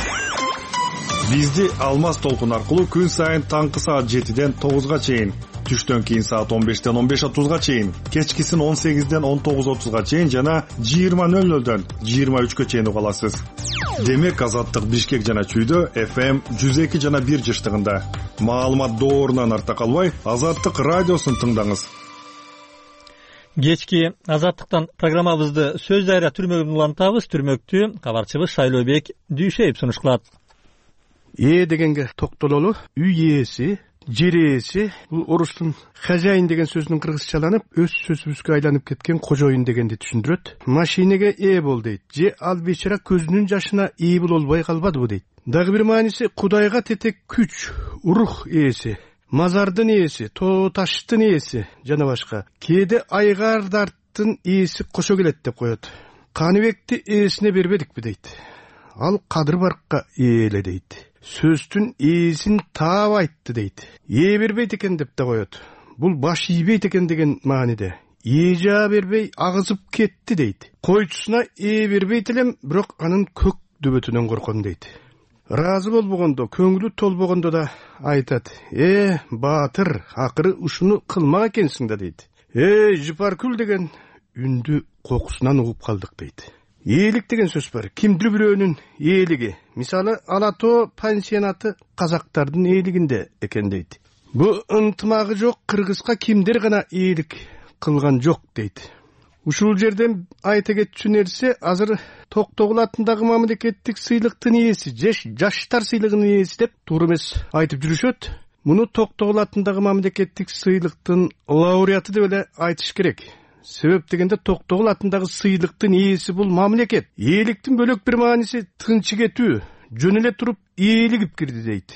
Бизди Алмаз толкун аркылуу күн сайын таңкы саат жетиден тогузга чейин, түштөн кийин саат он бештен он беш отузга чейин, кечкисин он сегизден он тогуз отузга чейин жана жыйырма нөл нөлдөн жыйырма үчкө чейин уга аласыз. Демек Азаттык Бишкек жана Чүйдө эф эм жүз эки жана бир жыштыгында. Маалымат доорунан арта калбай, Азаттык радиосун тыңдаңыз. Кечки Азаттыктан программабызды сөз дайра түрмөгүн улантабыз. Түрмөктү кабарчыбыз Шайлообек Дүйшеев сунуш кылат. Ээ дегенге токтололу, үй ээси, жер ээси, бул орустун хозяин деген сөзүнүн кыргызчаланып, өз сөзүбүзгө айланып кеткен кожоюн дегенди түшүндүрөт. Машинеге ээ бол дейт, же ал бечара көзүнүн жашына ээ болбой калбадыбы дейт. Дагы бир мааниси Кудайга тетек күч, рух ээси, мазардын ээси, тоо таштын ээси жана башка. Кээде айгардарттын ээси кошо келет деп коет. Каныбекти ээсине бербедикпи дейт. Ал Кадыр Баркка ээле дейт. Сөздүн ээсин таап айтты дейт. Ээ бербейт экен деп да коет. Бул баш ийбейт экен деген мааниде. Ээ жаа бербей агызып кетти дейт. Койчусуна ээ бербейт элем, бирок анын көк дөбөтүнөн корком дейт. Разы болбогондо, көңүлү толбогондо да айтат. Э, баатыр, акыры ушуну кылмак экенсиң да дейт. Э, Жыпаркүл деген үндү кокусунан угуп калдык дейт. Ээлик деген сөз бар. Кимдир бирөөнүн ээлиги. Мисалы, Ала Тоо пансионаты казактардын ээлигинде экен дейт. Бу ынтымагы жок кыргызга кимдир гана ээлик кылган жок дейт. Ушул жерден айта кетчү нерсе, азыр Токтогул атындагы мамлекеттик сыйлыктын ээси, жаштар сыйлыгынын ээси деп туура эмес айтып жүрүшөт. Муну Токтогул атындагы мамлекеттик сыйлыктын лауреаты деп эле айтыш керек. Себеп дегенде Токтогул атындагы сыйлыктын ээси бул мамлекет. Ээликтин бөлөк бир мааниси тынчы кетүү, жөн эле туруп ээлигип кирди дейт.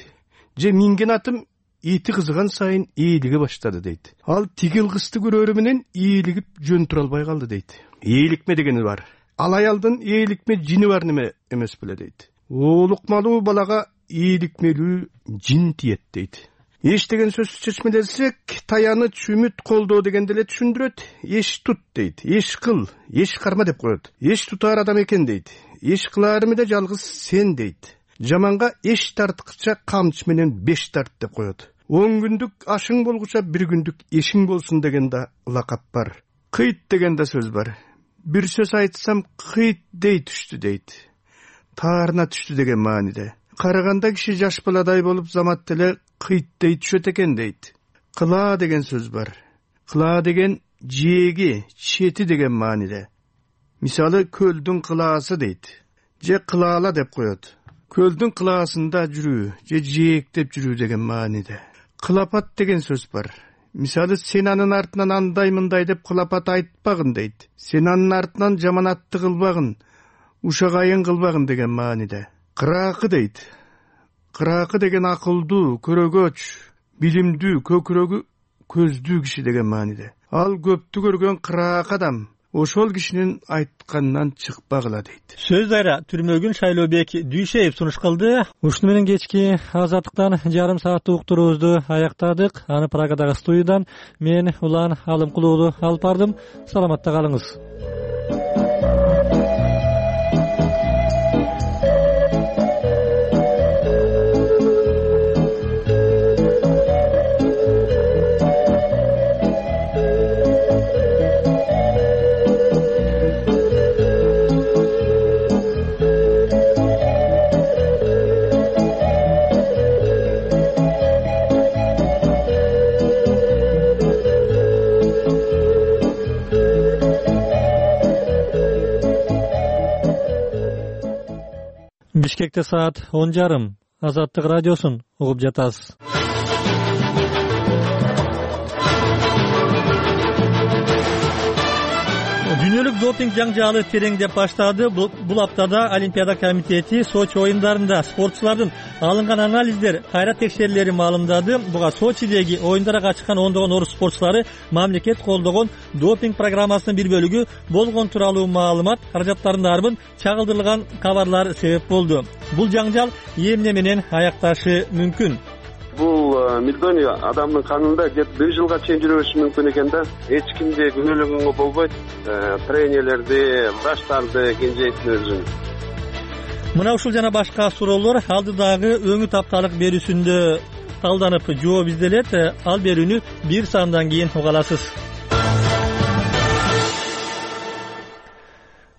Же минген атым эти кызыган сайын ээлиге баштады дейт. Ал тигил кызды көрөрү менен ээлигип жөн тура албай калды дейт. Ээликме дегени бар. Ал аялдын ээликме жини бар неме эмес беле дейт. Оолукмалуу балага ээликмелүү жин тиет дейт. Эш деген сөз чечмелесек, таяныч, үмүт, колдоо дегенде эле түшүндүрөт. Эш тут дейт. Эш кыл, эш карма деп коет. Эш тутар адам экен дейт. Эш кыларымы да жалгыз сен дейт. Жаманга эш тарткыча камчы менен беш тарт деп коет. Он күндүк ашың болгуча бир күндүк эшиң болсун деген да лакап бар. Кыйт деген да сөз бар. Бир сөз айтсам кыйт дей түштү дейт. Таарына түштү деген мааниде. Караганда киши жаш баладай болуп замат эле кыйт дей түшөт экен дейт. Кыла деген сөз бар. Кыла деген жээги, чети деген мааниде. Мисалы көлдүн кылаасы дейт, же кылаала деп коет. Көлдүн кылаасында жүрүү, же жээктеп жүрүү деген мааниде. Кылапат деген сөз бар. Мисалы сен анын артынан андай мындай деп кылапат айтпагын дейт. Сен анын артынан жаманатты кылбагын, ушагайын кылбагын деген мааниде. Кыраакы дейт. Кыраакы деген акылдуу, көрөгөч, билимдүү, көкүрөгү көздүү киши деген мааниде. Ал көптү көргөн кыраак адам ошол кишинин айтканынан чыкпагыла дейт. Сөз дайра түрмөгүн Шайлообек Дүйшеев сунуш кылды. Ушуну менен кечки Азаттыктан жарым сааттык уктуруубузду аяктадык. Аны Прагадагы студиядан мен Улан Алымкулуулу алып бардым. Саламатта калыңыз. Бишкекте саат он жарым. Азаттык радиосун угуп жатасыз. Дүйнөлүк допинг жаңжаалы тереңдеп баштады. Бул аптада Олимпиада комитети Сочи оюндарында спортчулардын алынган анализдер, кайра текшерүүлөрү маалымдады. Буга Сочидеги оюндарга катышкан ондогон орус спортчулары мамлекет колдогон допинг программасынын бир бөлүгү болгон тууралуу маалымат, каражаттардын арбын чагылдырылган кабарлар себеп болду. Бул жаңжал эмне менен аякташы мүмкүн? Бул милдони адамдын канында кеп бир жылга чейин жүрө бериши мүмкүн экен да. Эч кимди күнөөлөгөнгө болбойт. Тренерлерди, врачтарды, кенжейттин өзүн. Мына ушул жана башка суроолор алдыдагы өңү тапталык берүүсүндө талданып жооп изделет. Ал берүүнү бир сандан кийин уга аласыз.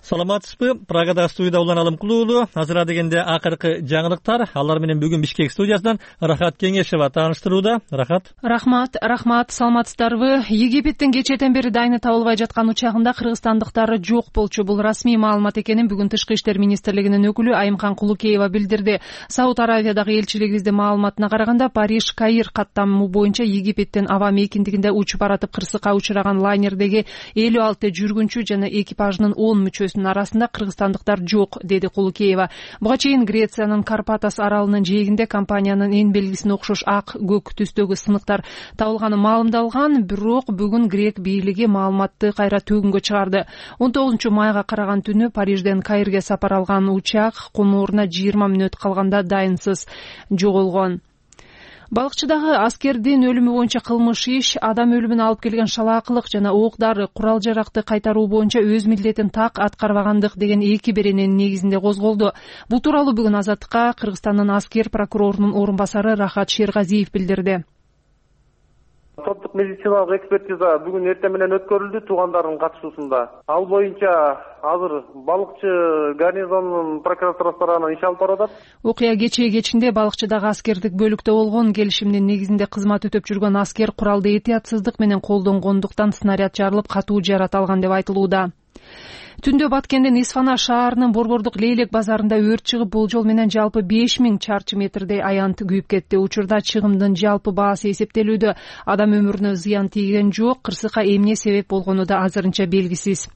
Саламатсызбы? Прагада студияда Улан Алымкулуулу. Азыр дегенде акыркы жаңылыктар. Алар менен бүгүн Бишкек студиясынан Рахат Кеңешева тааныштырууда. Рахат. Рахмат, рахмат. Саламатсыздарбы? Египеттин кечээден бери дайыны табылбай жаткан учагында кыргызстандыктар жок болчу. Бул расмий маалымат экенин бүгүн Тышкы иштер министрлигинин өкүлү Айымкан Кулукеева билдирди. Сауд Аравиядагы элчилигибиздин маалыматына караганда Париж Каир каттамы боюнча Египеттин аба мейкиндигинде учуп баратып кырсыкка учураган лайнердеги элүү алты жүргүнчү жана экипажынын он мүчөсү арасында кыргызстандыктар жок, деди Кулукеева. Буга чейин Грециянын Карпатас аралынын жээгинде компаниянын эң белгисине окшош ак көк түстөгү сыныктар табылганы маалымдалган, бирок бүгүн грек бийлиги маалыматты кайра төгүнгө чыгарды. он тогузунчу майга караган түнү Парижден Каирге сапар алган учак конууруна жыйырма мүнөт калганда дайынсыз жоголгон. Балыкчыдагы аскердин өлүмү боюнча кылмыш иш, адам өлүмүнө алып келген шалаакылык жана ок-дары, курал жаракты кайтаруу боюнча өз милдетин так аткарбагандык деген эки берененин негизинде козголду. Бул тууралуу бүгүн Азаттыкка Кыргызстандын аскер прокурорунун орун басары Рахат Шергазиев билдирди. Соттук медициналык экспертиза бүгүн эртең менен өткөрүлдү туугандардын катышуусунда. Ал боюнча азыр балыкчы гарнизонунун прокуратурасына иш алып баратат. Окуя кечээ кечинде балыкчыдагы аскердик бөлүктө болгон. Келишимдин негизинде кызмат өтөп жүргөн аскер куралды этиятсыздык менен колдонгондуктан снаряд жарылып катуу жарат алган деп айтылууда. Түндө Баткендин Исфана шаарынын Борбордук Лейлек базарында өрт чыгып, болжол менен жалпы беш миң чарчы метрдей аянт күйүп кетти. Учурда чыгымдын жалпы баасы эсептелүүдө. Адам өмүрүнө зыян тийген жок, кырсыкка эмне себеп болгону да азырынча белгисиз.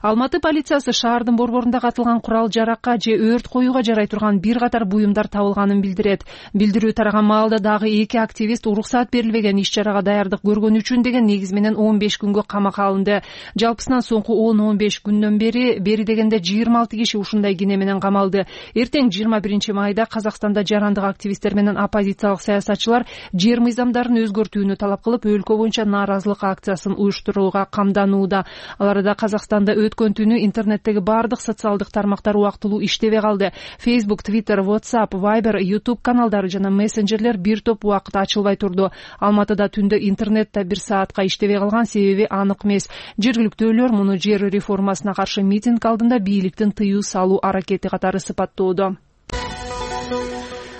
Алматы полициясы шаардын борборунда катылган курал жаракка же өрт коюуга жарай турган бир катар буюмдар табылганын билдирет. Билдирүү тараган маалда дагы эки активист уруксат берилбеген иш-чарага даярдык көргөнү үчүн деген негиз менен он беш күнгө камакка алынды. Жалпысынан соңку он он беш күндөн бери бери дегенде жыйырма алты киши ушундай кине менен камалды. Эртең жыйырма биринчи майда Казакстанда жарандык активисттер менен оппозициялык саясатчылар жер мыйзамдарын өзгөртүүнү талап кылып, өлкө боюнча нааразылык акциясын уюштурууга камданууда. Аларда Казакстанда өткөн түнү интернеттеги бардык социалдык тармактар убактылуу иштебей калды. Facebook, Twitter, WhatsApp, Viber, YouTube каналдары жана мессенджерлер бир топ убакыт ачылбай турду. Алматыда түндө интернет да бир саатка иштебей калган, себеби анык эмес. Жергиликтүүлөр муну жер реформасына каршы митинг алдында бийликтин тыюу салуу аракети катары сыпаттоодо.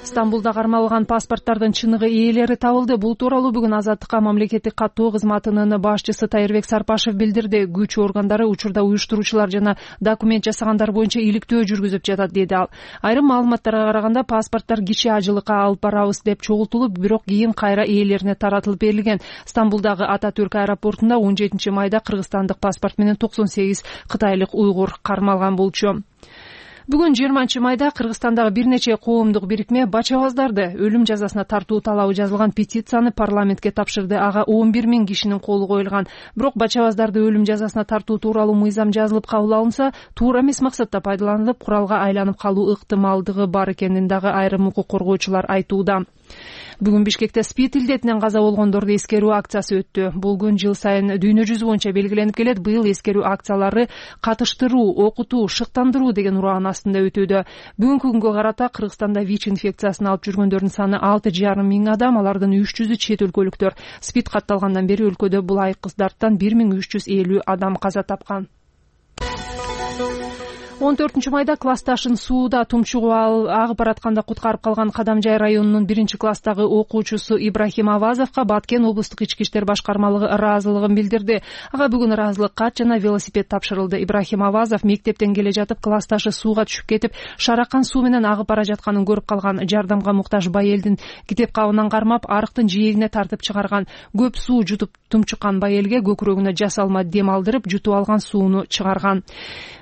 Стамбулда кармалган паспорттардын чыныгы ээлери табылды. Бул тууралуу бүгүн Азаттыкка мамлекеттик каттоо кызматынын башчысы Тайырбек Сарпашев билдирди. Күч органдары учурда уюштуруучулар жана документ жасагандар боюнча иликтөө жүргүзүп жатат, деди ал. Айрым маалыматтарга караганда паспорттор кичи ажылыкка алып барабыз деп чогултулуп, бирок кийин кайра ээлерине таратылып берилген. Стамбулдагы Ататүрк аэропортунда он жетинчи майда кыргызстандык паспорт менен токсон сегиз кытайлык уйгур кармалган болчу. Бүгүн жыйырманчы майда Кыргызстандагы бир нече коомдук бирикме бачабаздарды өлүм жазасына тартуу талабы жазылган петицияны парламентке тапшырды. Ага он бир миң кишинин колу коюлган. Бирок бачабаздарды өлүм жазасына тартуу тууралуу мыйзам жазылып кабыл алынса, туура эмес максатта пайдаланылып, куралга айланып калуу ыктымалдыгы бар экенин дагы айрым укук коргоочулар айтууда. Бүгүн Бишкекте СПИД илдетинен каза болгондорду эскерүү акциясы өттү. Бул күн жыл сайын дүйнө жүзү боюнча белгиленип келет. Быйыл эскерүү акциялары катыштыруу, окутуу, шыктандыруу деген ураан астында өтүүдө. Бүгүнкү күнгө карата Кыргызстанда ВИЧ инфекциясын алып жүргөндөрдүн саны алты жарым миң адам, алардын үч жүзү чет өлкөлүктөр. СПИД катталгандан бери өлкөдө бул айкыздардан бир миң үч жүз элүү адам каза тапкан. он төртүнчү майда классташын сууда тумчугуп агып баратканда куткарып калган Кадамжай районунун биринчи класстагы окуучусу Ибрахим Авазовго Баткен облустук ички иштер башкармалыгы ыраазылыгын билдирди. Ага бүгүн ыраазылык кат жана велосипед тапшырылды. Ибрахим Авазов мектептен келе жатып классташы сууга түшүп кетип, шаракан суу менен агып бара жатканын көрүп калган. Жардамга муктаж байелдин китеп кабынан кармап, арыктын жээгине тартып чыгарган. Көп суу жутуп тумчуккан байелге көкүрөгүнө жасалма дем алдырып, жутуп алган сууну чыгарган.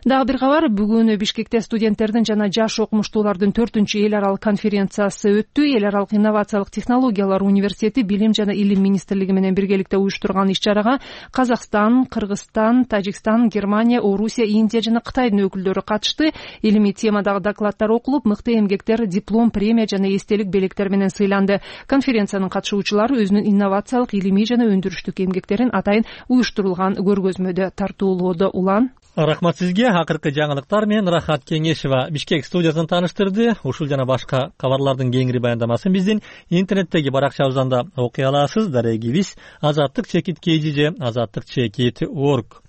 Дагы бир кабар, бүгүн Бишкекте студенттердин жана жаш окумуштуулардын төртүнчү эл аралык конференциясы өттү. Эл аралык инновациялык технологиялар университети Билим жана Илим министрлиги менен биргеликте уюштурган иш-чарага Казакстан, Кыргызстан, Тажикстан, Германия, Орусия, Индия жана Кытайдын өкүлдөрү катышты. Илимий темадагы докладдар окулуп, мыкты эмгектер диплом, премия жана эстелик белектер менен сыйланды. Конференциянын катышуучулары өзүнүн инновациялык, илимий жана өндүрүштүк эмгектерин атайын уюштурулган көргөзмөдө тартуулоодо. Улан Рахмат сизге. Акыркы жаңылыктар менен Рахат Кеңешева Бишкек студиясын тааныштырды. Ушул жана башка кабарлардын кеңири баяндамасын биздин интернеттеги баракчабыздан да окуй аласыз. Дарегибиз азаттык чекит kg же азаттык чекит org.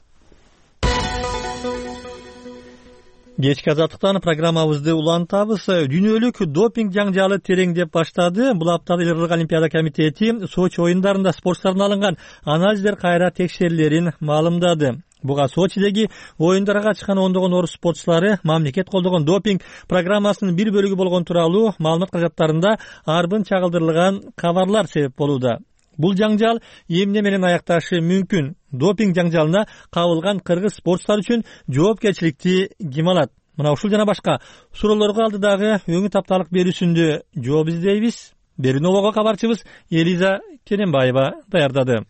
Кечки азаттыктан программабызды улантабыз. Дүйнөлүк допинг жаңжалы тереңдеп баштады. Бул аптада Элордо Олимпиада комитети Сочи оюндарында спортчулардан алынган анализдер кайра текшерилерин маалымдады. Буга Сочидеги оюндарга чыккан ондогон орус спортчулары мамлекет колдогон допинг программасынын бир бөлүгү болгон тууралуу маалымат каражаттарында арбын чагылдырылган кабарлар себеп болууда. Бул жаңжал эмне менен аякташы мүмкүн? Допинг жаңжалына кабылган кыргыз спортчулар үчүн жоопкерчиликти ким алат? Мына ушул жана башка суроолорго алдыдагы өңү тапталык берүүсүндө жооп издейбиз. Беринового кабарчыбыз Элиза Керенбаева даярдады.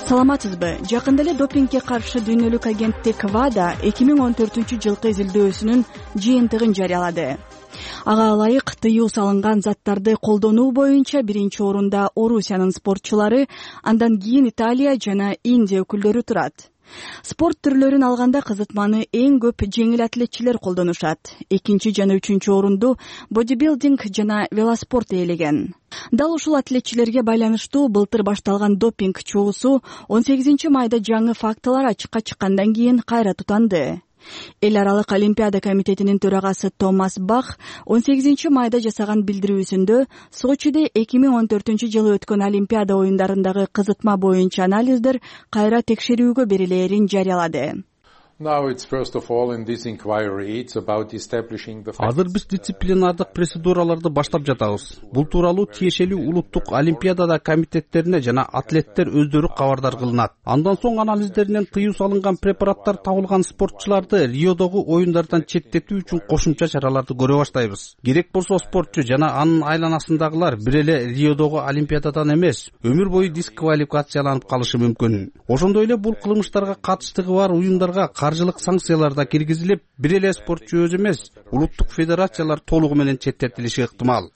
Саламатсызбы? Жакында эле допингге каршы дүйнөлүк агенттик ВАДА эки миң он төртүнчү жылкы изилдөөсүнүн жыйынтыгын жарыялады. Ага ылайык тыюу салынган заттарды колдонуу боюнча биринчи орунда Орусиянын спортчулары, андан кийин Италия жана Индия өкүлдөрү турат. Спорт түрлөрүн алганда кызытманы эң көп жеңил атлетчилер колдонушат. Экинчи жана үчүнчү орунду бодибилдинг жана велоспорт ээлеген. Дал ушул атлетчилерге байланыштуу былтыр башталган допинг чогуусу он сегизинчи майда жаңы фактылар ачыкка чыккандан кийин кайра тутанды. Эл аралык Олимпиада комитетинин төрагасы Томас Бах он сегизинчи майда жасаган билдирүүсүндө Сочиде эки миң он төртүнчү жылы өткөн Олимпиада оюндарындагы кызытма боюнча анализдер кайра текшерүүгө берилээрин жарыялады. Азыр биз дисциплинардык процедураларды баштап жатабыз. Бул тууралуу тиешелүү улуттук олимпиада комитеттерине жана атлеттер өздөрү кабардар кылынат. Андан соң анализдеринен тыюу салынган препараттар табылган спортчуларды Риодогу оюндардан четтетүү үчүн кошумча чараларды көрө баштайбыз. Керек болсо спортчу жана анын айланасындагылар бир эле Риодогу олимпиададан эмес, өмүр бою дисквалификацияланып калышы мүмкүн. Ошондой эле бул кылмыштарга катыштыгы бар уюндарга каржылык санкциялар да киргизилип, бир эле спортчу өзү эмес, улуттук федерациялар толугу менен четтетилиши ыктымал.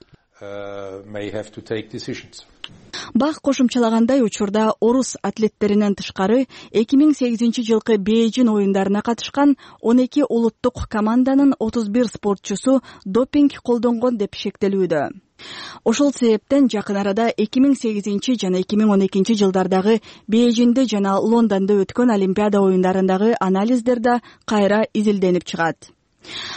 бак кошумчалагандай учурда орус атлеттеринен тышкары эки миң сегизинчи жылкы Бейжин оюндарына катышкан он эки улуттук команданын отуз бир спортчусу допинг колдонгон деп шектелүүдө. Ошол себептен жакын арада эки миң сегизинчи жана эки миң он экинчи жылдардагы Бейжинде жана Лондондо өткөн Олимпиада оюндарындагы анализдер да кайра изилденип чыгат.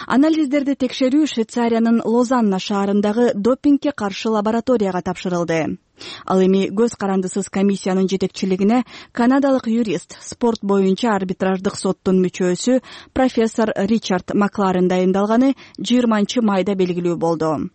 Анализдерди текшерүү Швейцариянын Лозанна шаарындагы допингге каршы лабораторияга тапшырылды. Ал эми көз карандысыз комиссиянын жетекчилигине канадалык юрист, спорт боюнча арбитраждык соттун мүчөсү профессор Ричард Макларен дайындалганы жыйырманчы майда белгилүү болду.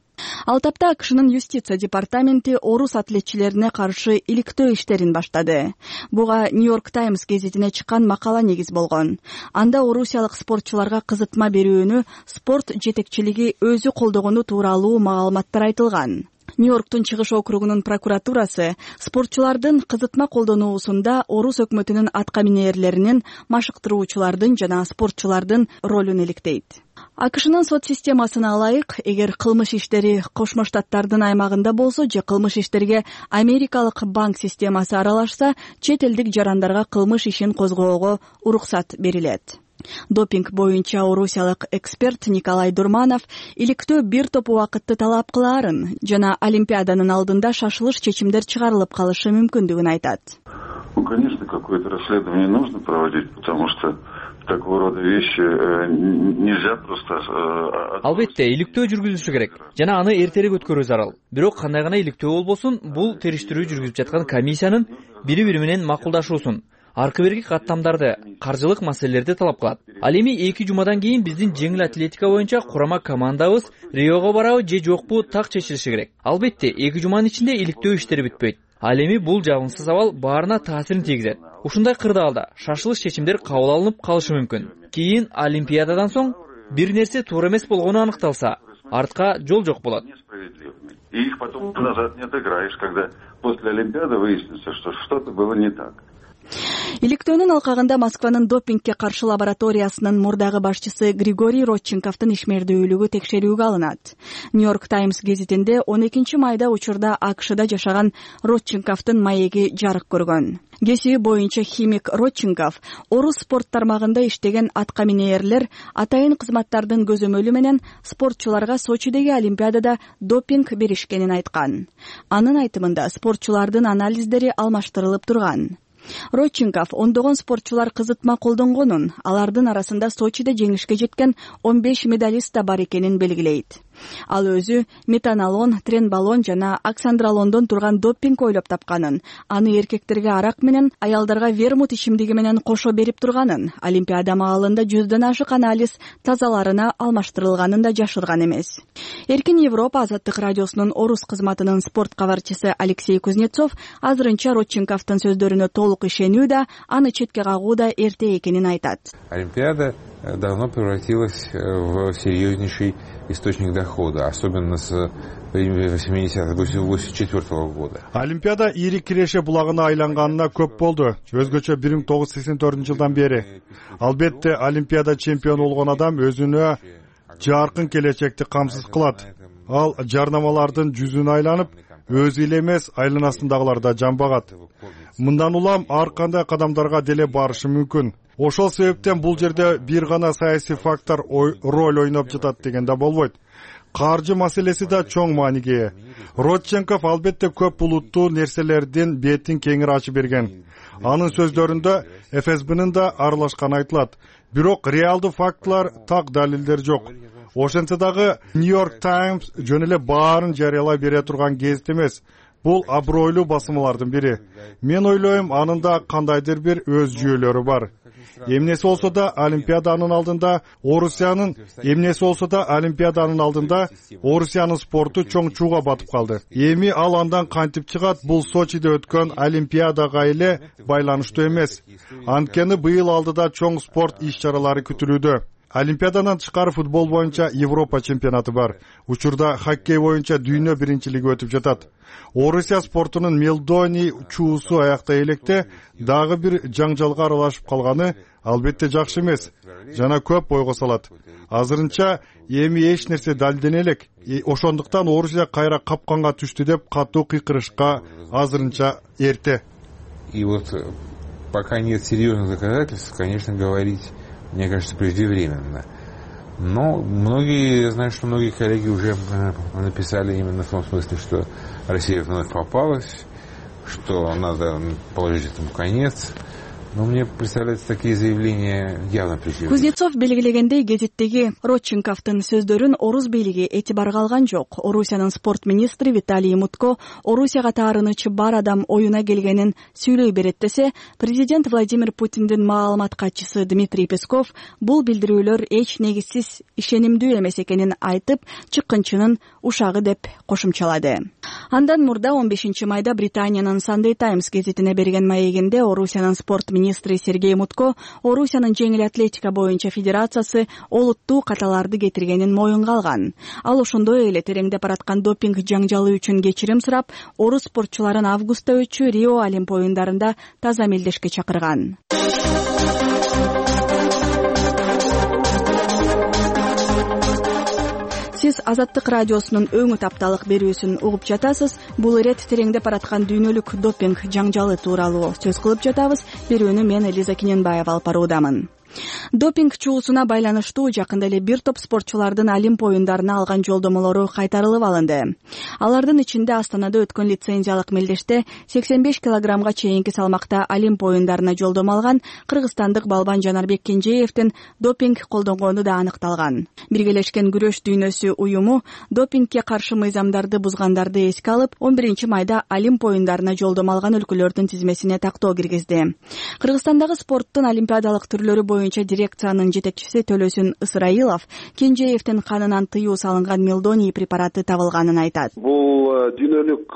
Ал тапта АКШнын юстиция департаменти орус атлетчилерине каршы иликтөө иштерин баштады. Буга Нью-Йорк Таймс гезитине чыккан макала негиз болгон. Анда орусиялык спортчуларга кызытма берүүнү спорт жетекчилиги өзү колдогону тууралуу маалыматтар айтылган. Нью-Йорктун чыгыш округунун прокуратурасы спортчулардын кызытма колдонуусунда орус өкмөтүнүн атка минээрлеринин, машыктыруучулардын жана спортчулардын ролун иликтейт. АКШнын сот системасына ылайык, эгер кылмыш иштери Кошмо Штаттардын аймагында болсо же кылмыш иштерге америкалык банк системасы аралашса, чет элдик жарандарга кылмыш ишин козгоого уруксат берилет. Допинг боюнча орусиялык эксперт Николай Дурманов иликтөө бир топ убакытты талап кылаарын жана Олимпиаданын алдында шашылыш чечимдер чыгарылып калышы мүмкүндүгүн айтат. Ну, конечно, какое-то расследование нужно проводить, потому что такого рода вещи нельзя просто. Албетте, иликтөө жүргүзүлүшү керек жана аны эртерээк өткөрүү зарыл. Бирок кандай гана иликтөө болбосун, бул териштирүү жүргүзүп жаткан комиссиянын бири-бири менен макулдашуусун, аркы берки каттамдарды, каржылык маселелерди талап кылат. Ал эми эки жумадан кийин биздин жеңил атлетика боюнча курама командабыз Риого барабы же жокпу так чечилиши керек. Албетте, эки жуманын ичинде иликтөө иштери бүтпөйт. Ал эми бул жагымсыз абал баарына таасирин тийгизет. Ушундай кырдаалда шашылыш чечимдер кабыл алынып калышы мүмкүн. Кийин Олимпиададан соң бир нерсе туура эмес болгону аныкталса, артка жол жок болот. И их потом назад не отыграешь, когда после Олимпиады выяснится, что что-то было не так. Иликтөөнүн алкагында Москванын допингге каршы лабораториясынын мурдагы башчысы Григорий Родченковдун ишмердүүлүгү текшерүүгө алынат. Нью-Йорк Таймс гезитинде он экинчи майда учурда АКШда жашаган Родченковдун маеги жарык көргөн. Кесиби боюнча химик Родченков орус спорт тармагында иштеген атка минээрлер атайын кызматтардын көзөмөлү менен спортчуларга Сочидеги Олимпиадада допинг беришкенин айткан. Анын айтымында спортчулардын анализдери алмаштырылып турган. Родченков ондогон спортчулар кызытма колдонгонун, алардын арасында Сочиде жеңишке жеткен он беш медалист да бар экенин белгилейт. Ал өзү метанолон, тренбалон жана оксандролондон турган допинг ойлоп тапканын, аны эркектерге арак менен, аялдарга вермут ичимдиги менен кошо берип турганын, Олимпиада маалында жүздөн ашык анализ тазаларына алмаштырылганын да жашырган эмес. Эркин Европа Азаттык радиосунун орус кызматынын спорт кабарчысы Алексей Кузнецов азырынча Родченковдун сөздөрүнө толук ишенүү да, аны четке кагуу да эрте экенин айтат. Олимпиада давно превратилась в серьезнейший источник дохода, особенно с восьмидесятых восемьдесят четвёртого года. Олимпиада ири киреше булагына айланганына көп болду. Өзгөчө бир миң тогуз жүз сексен төртүнчү жылдан бери. Албетте, Олимпиада чемпиону болгон адам өзүнө жаркын келечекти камсыз кылат. Ал жарнамалардын жүзүнө айланып, өзү эле эмес, айланасындагылар да жамбагат. Мындан улам ар кандай кадамдарга деле барышы мүмкүн. Ошол себептен бул жерде бир гана саясий фактор роль ойноп жатат деген да болбойт. Каржы маселеси да чоң мааниге ээ. Родченков албетте көп булуттуу нерселердин бетин кеңири ачып берген. Анын сөздөрүндө эф эс бнын да аралашканы айтылат. Бирок реалдуу фактылар, так далилдер жок. Ошентсе дагы Нью-Йорк Таймс жөн эле баарын жарыялай бере турган гезит эмес. Бул абройлуу басмалардын бири. Мен ойлойм, анын да кандайдыр бир өз жүйөлөрү бар. Эмнеси болсо да Олимпиаданын алдында Орусиянын эмнеси болсо да Олимпиаданын алдында Орусиянын спорту чоң чууга батып калды. Эми ал андан кантип чыгат, бул Сочиде өткөн Олимпиадага эле байланыштуу эмес. Анткени быйыл алдыда чоң спорт иш-чаралары күтүлүүдө. Олимпиададан тышкары футбол боюнча Европа чемпионаты бар. Учурда хоккей боюнча дүйнө биринчилиги өтүп жатат. Орусия спортунун Мелдони чуусу аяктай электе дагы бир жаңжалга аралашып калганы албетте жакшы эмес жана көп ойго салат. Азырынча эми эч нерсе далдене элек. Ошондуктан Орусия кайра капканга түштү деп катуу кыйкырышка азырынча эрте. И вот пока нет серьезных доказательств, конечно, говорить, мне кажется, преждевременно. Но многие, я знаю, что многие коллеги уже написали именно в том смысле, что Россия вновь попалась, что надо положить этому конец. Но мне представляются такие заявления явно преждевременными. Кузнецов белгилегендей, гезиттеги Родченковдун сөздөрүн орус бийлиги этибарга алган жок. Орусиянын спорт министри Виталий Мутко Орусияга таарынычы бар адам оюна келгенин сүйлөй берет десе, президент Владимир Путиндин маалымат катчысы Дмитрий Песков бул билдирүүлөр эч негизсиз, ишенимдүү эмес экенин айтып, чыккынчынын ушагы деп кошумчалады. Андан мурда он бешинчи майда Британиянын Sunday Times гезитине берген маегинде Орусиянын спорт министри Сергей Мутко Орусиянын жеңил атлетика боюнча федерациясы олуттуу каталарды кетиргенин моюнга алган. Ал ошондой эле тереңдеп бараткан допинг жаңжалы үчүн кечирим сурап, орус спортчуларын августта өтчү Рио Олимп оюндарында таза мелдешке чакырган. Сиз Азаттык радиосунун өңү тапталык берүүсүн угуп жатасыз. Бул ирет тереңдеп бараткан дүйнөлүк допинг жаңжалы тууралуу сөз кылып жатабыз. Берүүнү мен Элиза Кененбаева алып баруудамын. Допинг чуусуна байланыштуу жакында эле бир топ спортчулардын Олимп оюндарына алган жолдомолору кайтарылып алынды. Алардын ичинде Астанада өткөн лицензиялык мелдеште сексен беш килограммга чейинки салмакта Олимп оюндарына жолдомо алган кыргызстандык балбан Жанарбек Кенжеевдин допинг колдонгону да аныкталган. Биргелешкен күрөш дүйнөсү уюму допингге каршы мыйзамдарды бузгандарды эске алып, он биринчи майда Олимп оюндарына жолдомо алган өлкөлөрдүн тизмесине тактоо киргизди. Кыргызстандагы спорттун олимпиадалык түрлөрү боюнча дирекциянын жетекчиси Төлөсүн Ысырайылов Кенжеевдин канынан тыюу салынган Мелдони препараты табылганын айтат. Бул дүйнөлүк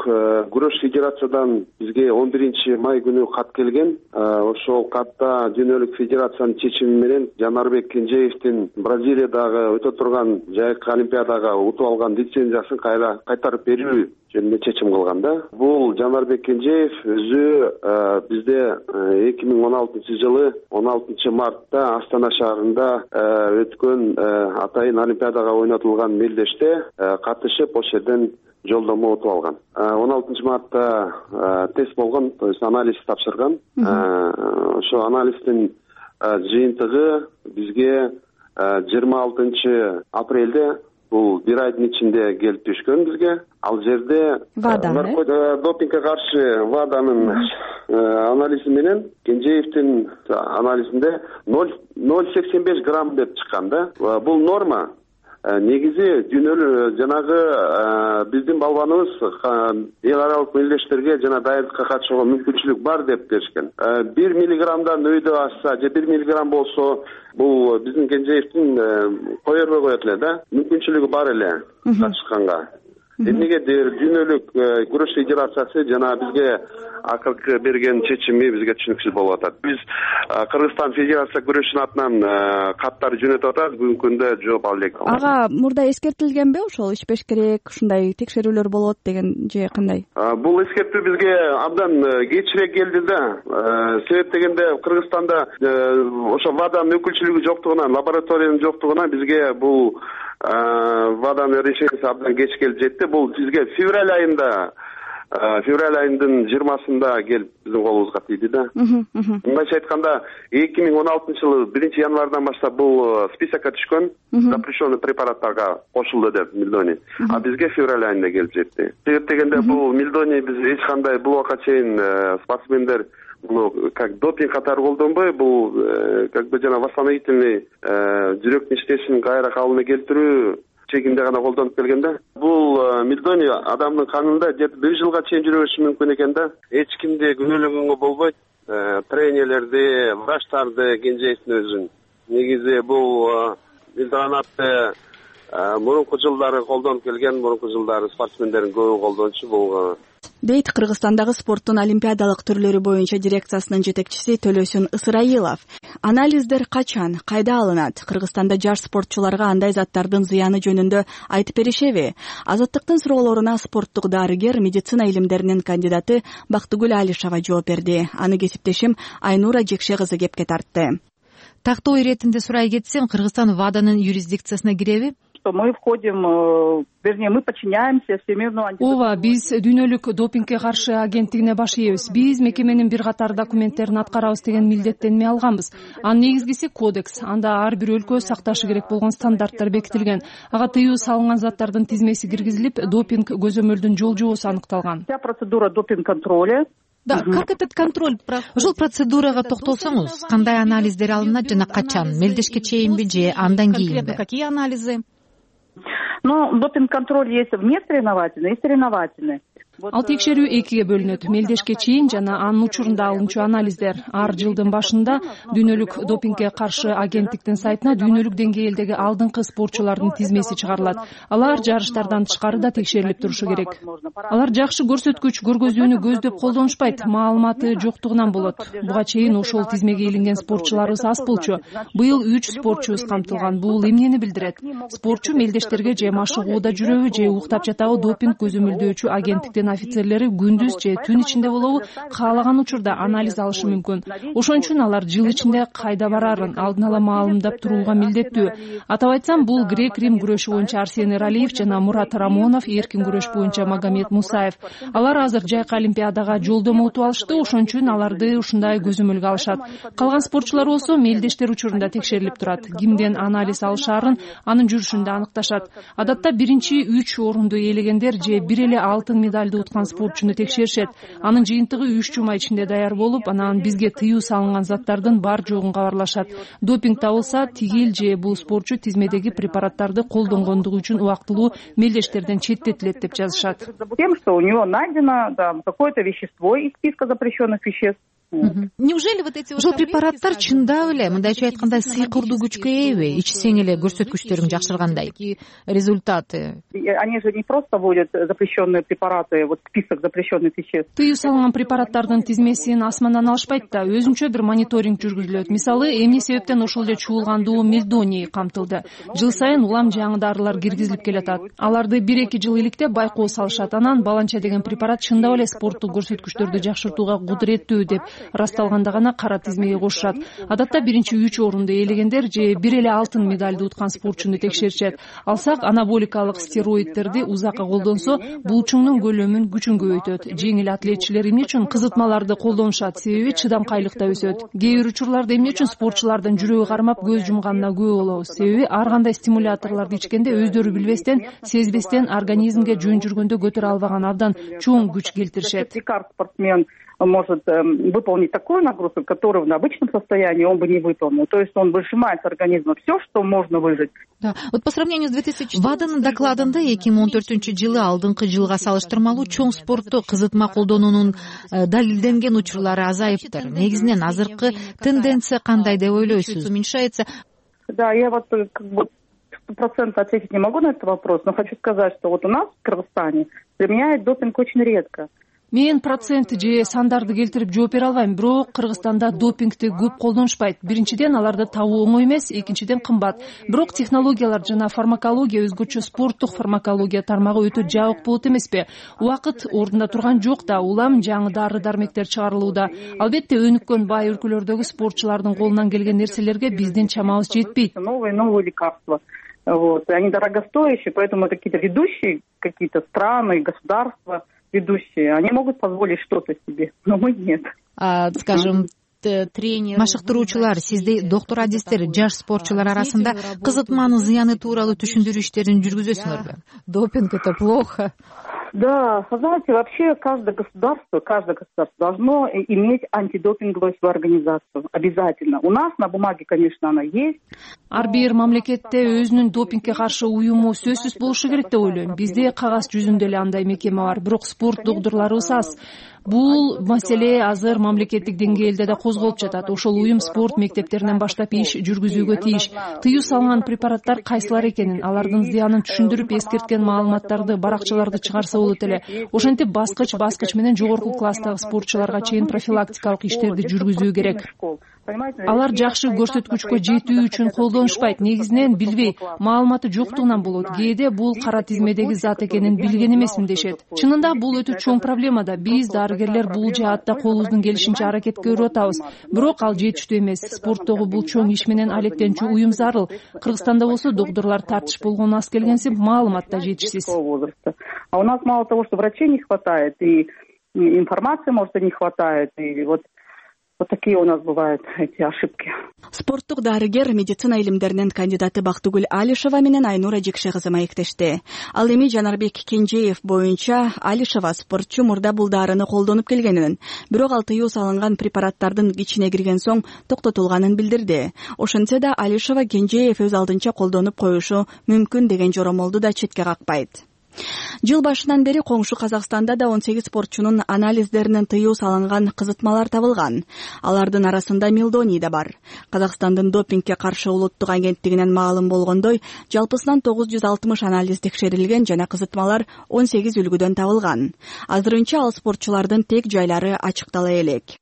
күрөш федерациядан бизге он биринчи май күнү кат келген. Ошол катта дүйнөлүк федерациянын чечими менен Жанарбек Кенжеевдин Бразилиядагы өтө турган жайкы олимпиадага утуп алган лицензиясын кайра кайтарып берүү жөнүндө чечим кылган да. Бул Жанарбек Кенжеев өзү бизде эки миң он алтынчы жылы он алтынчы мартта Астана шаарында өткөн атайын олимпиадага ойнотулган мелдеште катышып, ошол жерден жолдомо утуп алган. он алтынчы мартта тест болгон, то есть анализ тапшырган. Ошо анализдин жыйынтыгы бизге жыйырма алтынчы апрелде, бул бир айдын ичинде келип түшкөн бизге. Ал жерде допингге каршы ВАДАнын анализи менен Кенжеевдин анализинде ноль целых сексен беш грамм деп чыккан да. Бул норма. Негизи дүйнөлүк жанагы биздин балбаныбыз эл аралык мелдештерге жана дайындыкка катышууга мүмкүнчүлүк бар деп беришкен. бир миллиграммдан өйдө ашса же бир миллиграмм болсо, бул биздин Кенжеевдин кое бербей коет эле да. Мүмкүнчүлүгү бар эле катышканга. Эмнегедир дүйнөлүк күрөш федерациясы жана бизге акыркы берген чечими бизге түшүнүксүз болуп атат. Биз Кыргызстан Федерация күрөшүнүн атынан каттар жөнөтүп атат, бүгүнкү күндө жооп ала элек. Ага, мурда эскертилгенби ошол ишпеш керек, ушундай текшерүүлөр болот деген же кандай? Бул эскертүү бизге абдан кечирээк келди да. Себеп дегенде Кыргызстанда ошо ВАДАнын өкүлчүлүгү жоктугунан, лабораториянын жоктугунан бизге бул ВАДАнын решениясы абдан кеч келип жетти. Бул бизге февраль айында, февраль айынын жыйырмасында келип биздин колубузга тийди да. Мындайча айтканда, эки миң он алтынчы жылы биринчи январдан баштап бул списокко түшкөн, запрещенный препараттарга кошулду деп Мелдони. А бизге февраль айында келип жетти. Себеп дегенде бул Мелдони биз эч кандай бул убакка чейин спортсмендер ну, как допинг катары колдонбой, бул как бы жана восстановительный жүрөктүн иштешин кайра калыбына келтирүү чегинде гана колдонуп келген да. Бул Мелдони адамдын канында бир жылга чейин жүрө бериши мүмкүн экен да. Эч кимди күнөөлөгөнгө болбойт. Тренерлерди, врачтарды, Кенжеевдин өзүн. Негизи бул Мелдонатты мурунку жылдары колдонуп келген, мурунку жылдары спортсмендердин көбү колдончу. Бул дейт Кыргызстандагы спорттун олимпиадалык түрлөрү боюнча дирекциясынын жетекчиси Төлөсүн Ысырайылов. Анализдер качан, кайда алынат? Кыргызстанда жаш спортчуларга андай заттардын зыяны жөнүндө айтып беришеби? Азаттыктын суроолоруна спорттук дарыгер, медицина илимдеринин кандидаты Бактыгүл Алишева жооп берди. Аны кесиптешим Айнура Жекше кызы кепке тартты. Тактоо иретинде сурай кетсем, Кыргызстан ВАДАнын юрисдикциясына киреби? Мы входим, вернее, мы подчиняемся Всемирному антидопингу. Ооба, биз дүйнөлүк допингге каршы агенттигине баш ийебиз. Биз мекеменин бир катар документтерин аткарабыз деген милдеттенме алганбыз. Анын негизгиси кодекс. Анда ар бир өлкө сакташы керек болгон стандарттар бекитилген. Ага тыюу салынган заттардын тизмеси киргизилип, допинг көзөмөлдүн жол жобосу аныкталган. Вся процедура допинг-контроля. Да, как этот контроль? Ошол процедурага токтолсоңуз, кандай анализдер алынат жана качан? Мелдешке чейинби же андан кийинби? Конкретно какие анализы? Ну, допинг-контроль есть вне соревновательный и соревновательный. Ал текшерүү экиге бөлүнөт. Мелдешке чейин жана анын учурунда алынчу анализдер. Ар жылдын башында дүйнөлүк допингге каршы агенттиктин сайтына дүйнөлүк деңгээлдеги алдыңкы спортчулардын тизмеси чыгарылат. Алар жарыштардан тышкары да текшерилип турушу керек. Алар жакшы көрсөткүч көргөзүүнү көздөп колдонушпайт, маалыматы жоктугунан болот. Буга чейин ошол тизмеге илинген спортчуларыбыз аз болчу. Быйыл үч спортчубуз камтылган. Бул эмнени билдирет? Спортчу мелдештерге же машыгууда жүрөбү, же уктап жатабы допинг көзөмөлдөөчү агенттиктин офицерлери күндүз же түн ичинде болобу каалаган учурда анализ алышы мүмкүн. Ошон үчүн алар жыл ичинде кайда барарын алдын ала маалымдап турууга милдеттүү. Атап айтсам, бул грек-рим күрөшү боюнча Арсений Ралиев жана Мурат Рамонов, эркин күрөш боюнча Магомед Мусаев. Алар азыр жайкы олимпиадага жолдомо утуп алышты, ошон үчүн аларды ушундай көзөмөлгө алышат. Калган спортчулар болсо мелдештер учурунда текшерилип турат. Кимден анализ алышаарын анын жүрүшүндө аныкташат. Адатта биринчи үч орунду ээлегендер же бир эле алтын медалды уткан спортчуну текшеришет. Анын жыйынтыгы үч жума ичинде даяр болуп, анан бизге тыюу салынган заттардын бар жогун кабарлашат. Допинг табылса, тигил же бул спортчу тизмедеги препараттарды колдонгондугу үчүн убактылуу мелдештерден четтетилет деп жазышат. Тем, что у него найдено там какое-то вещество из списка запрещенных веществ. Неужели вот эти ошол препараттар чындап эле мындайча айтканда сыйкырдуу күчкө ээби? Ичсең эле көрсөткүчтөрүң жакшыргандай результаты? Они же не просто вводят запрещенные препараты, вот список запрещенных веществ. Тыюу салынган препараттардын тизмесин асмандан алышпайт да, өзүнчө бир мониторинг жүргүзүлөт. Мисалы, эмне себептен ошол эле чуулгандуу мельдоний камтылды. Жыл сайын улам жаңы дарылар киргизилип келатат. Аларды бир эки жыл иликтеп байкоо салышат. Анан баланча деген препарат чындап эле спорттук көрсөткүчтөрдү жакшыртууга кудуреттүү деп расталганда гана кара тизмеге кошушат. Адатта биринчи үч орунду ээлегендер же бир эле алтын медалды уткан спортчуну текшеришет. Алсак, анаболикалык стероидтерди узакка колдонсо, булчуңдун көлөмүн күчүн көбөйтөт. Жеңил атлетчилер эмне үчүн кызытмаларды колдонушат? Себеби чыдамкайлык да өсөт. Кээ бир учурларда эмне үчүн спортчулардын жүрөгү кармап көз жумганына күбө болобуз? Себеби ар кандай стимуляторлорду ичкенде өздөрү билбестен, сезбестен организмге жөн жүргөндө көтөрө албаган абдан чоң күч келтиришет. Спортсмен может э, выполнить такую нагрузку, которую в обычном состоянии он бы не выполнил. То есть он выжимает с организма все, что можно выжать. Да. Вот по сравнению с две тысячи ВАДАнын докладында эки миң он төртүнчү жылы алдыңкы жылга салыштырмалуу чоң спортто кызытма колдонуунун далилденген учурлары азайыптыр. Негизинен азыркы тенденция кандай деп ойлойсуз? Уменьшается? Да, я вот как бы сто процентов ответить не могу на этот вопрос, но хочу сказать, что вот у нас в Кыргызстане применяют допинг очень редко. Мен процент же сандарды келтирип жооп бере албайм, бирок Кыргызстанда допингти көп колдонушпайт. Биринчиден, аларды табуу оңой эмес, экинчиден кымбат. Бирок технологиялар жана фармакология, өзгөчө спорттук фармакология тармагы өтө жабык болот эмеспи? Убакыт ордунда турган жок да, улам жаңы дары-дармектер чыгарылууда. Албетте, өнүккөн бай өлкөлөрдөгү спортчулардын колунан келген нерселерге биздин чамабыз жетпейт. Новые новые лекарства. Вот. Они дорогостоящие, поэтому какие-то ведущие какие-то страны, государства ведущие, они могут позволить что-то себе, но мы нет. А, скажем, тренер, машыктыруучулар, сиздей доктор адистер жаш спортчулар арасында кызытманын зыяны тууралуу түшүндүрүү иштерин жүргүзөсүңөрбү? Допинг — это плохо. Да, знаете, вообще каждое государство, каждое государство должно иметь антидопинговую свою организацию. Обязательно. У нас на бумаге, конечно, она есть. Ар бир мамлекетте өзүнүн допингге каршы уюму сөзсүз болушу керек деп ойлойм. Бизде кагаз жүзүндө эле андай мекеме бар, бирок спорт докторлорубуз аз. Бул маселе азыр мамлекеттик деңгээлде да козголуп жатат. Ошол уюм спорт мектептеринен баштап иш жүргүзүүгө тийиш. Тыюу салынган препараттар кайсылар экенин, алардын зыянын түшүндүрүп эскерткен маалыматтарды, баракчаларды чыгарса болот эле. Ошентип баскыч баскыч менен жогорку класстагы спортчуларга чейин профилактикалык иштерди жүргүзүү керек. Алар жакшы көрсөткүчкө жетүү үчүн колдонушпайт, негизинен билбей, маалыматы жоктугунан болот. Кээде бул кара тизмедеги зат экенин билген эмесмин дешет. Чынында бул өтө чоң проблема да. Биз дарыгерлер бул жаатта колубуздун келишинче аракет көрүп атабыз. Бирок ал жетиштүү эмес. Спорттогу бул чоң иш менен алектенүүчү уюм зарыл. Кыргызстанда болсо доктурлар тартыш болгону аз келгенсип, маалымат да жетишсиз. А у нас мало того, что врачей не хватает, и информации, может, и не хватает, и вот Вот такие у нас бывают эти ошибки. Спорттук дарыгер, медицина илимдеринин кандидаты Бактыгүл Алишева менен Айнура Жекше кызы маектешти. Ал эми Жанарбек Кенжеев боюнча Алишева спортчу мурда бул дарыны колдонуп келгенин, бирок ал тыюу салынган препараттардын ичине кирген соң токтотулганын билдирди. Ошентсе да Алишева Кенжеев өз алдынча колдонуп коюшу мүмкүн деген жоромолду да четке какпайт. Жыл башынан бери коңшу Казакстанда да он сегиз спортчунун анализдеринен тыюу салынган кызытмалар табылган. Алардын арасында мелдоний да бар. Казакстандын допингге каршы улуттук агенттигинен маалым болгондой, жалпысынан тогуз жүз алтымыш анализ текшерилген жана кызытмалар он сегиз үлгүдөн табылган. Азырынча ал спортчулардын тек жайлары ачыктала элек.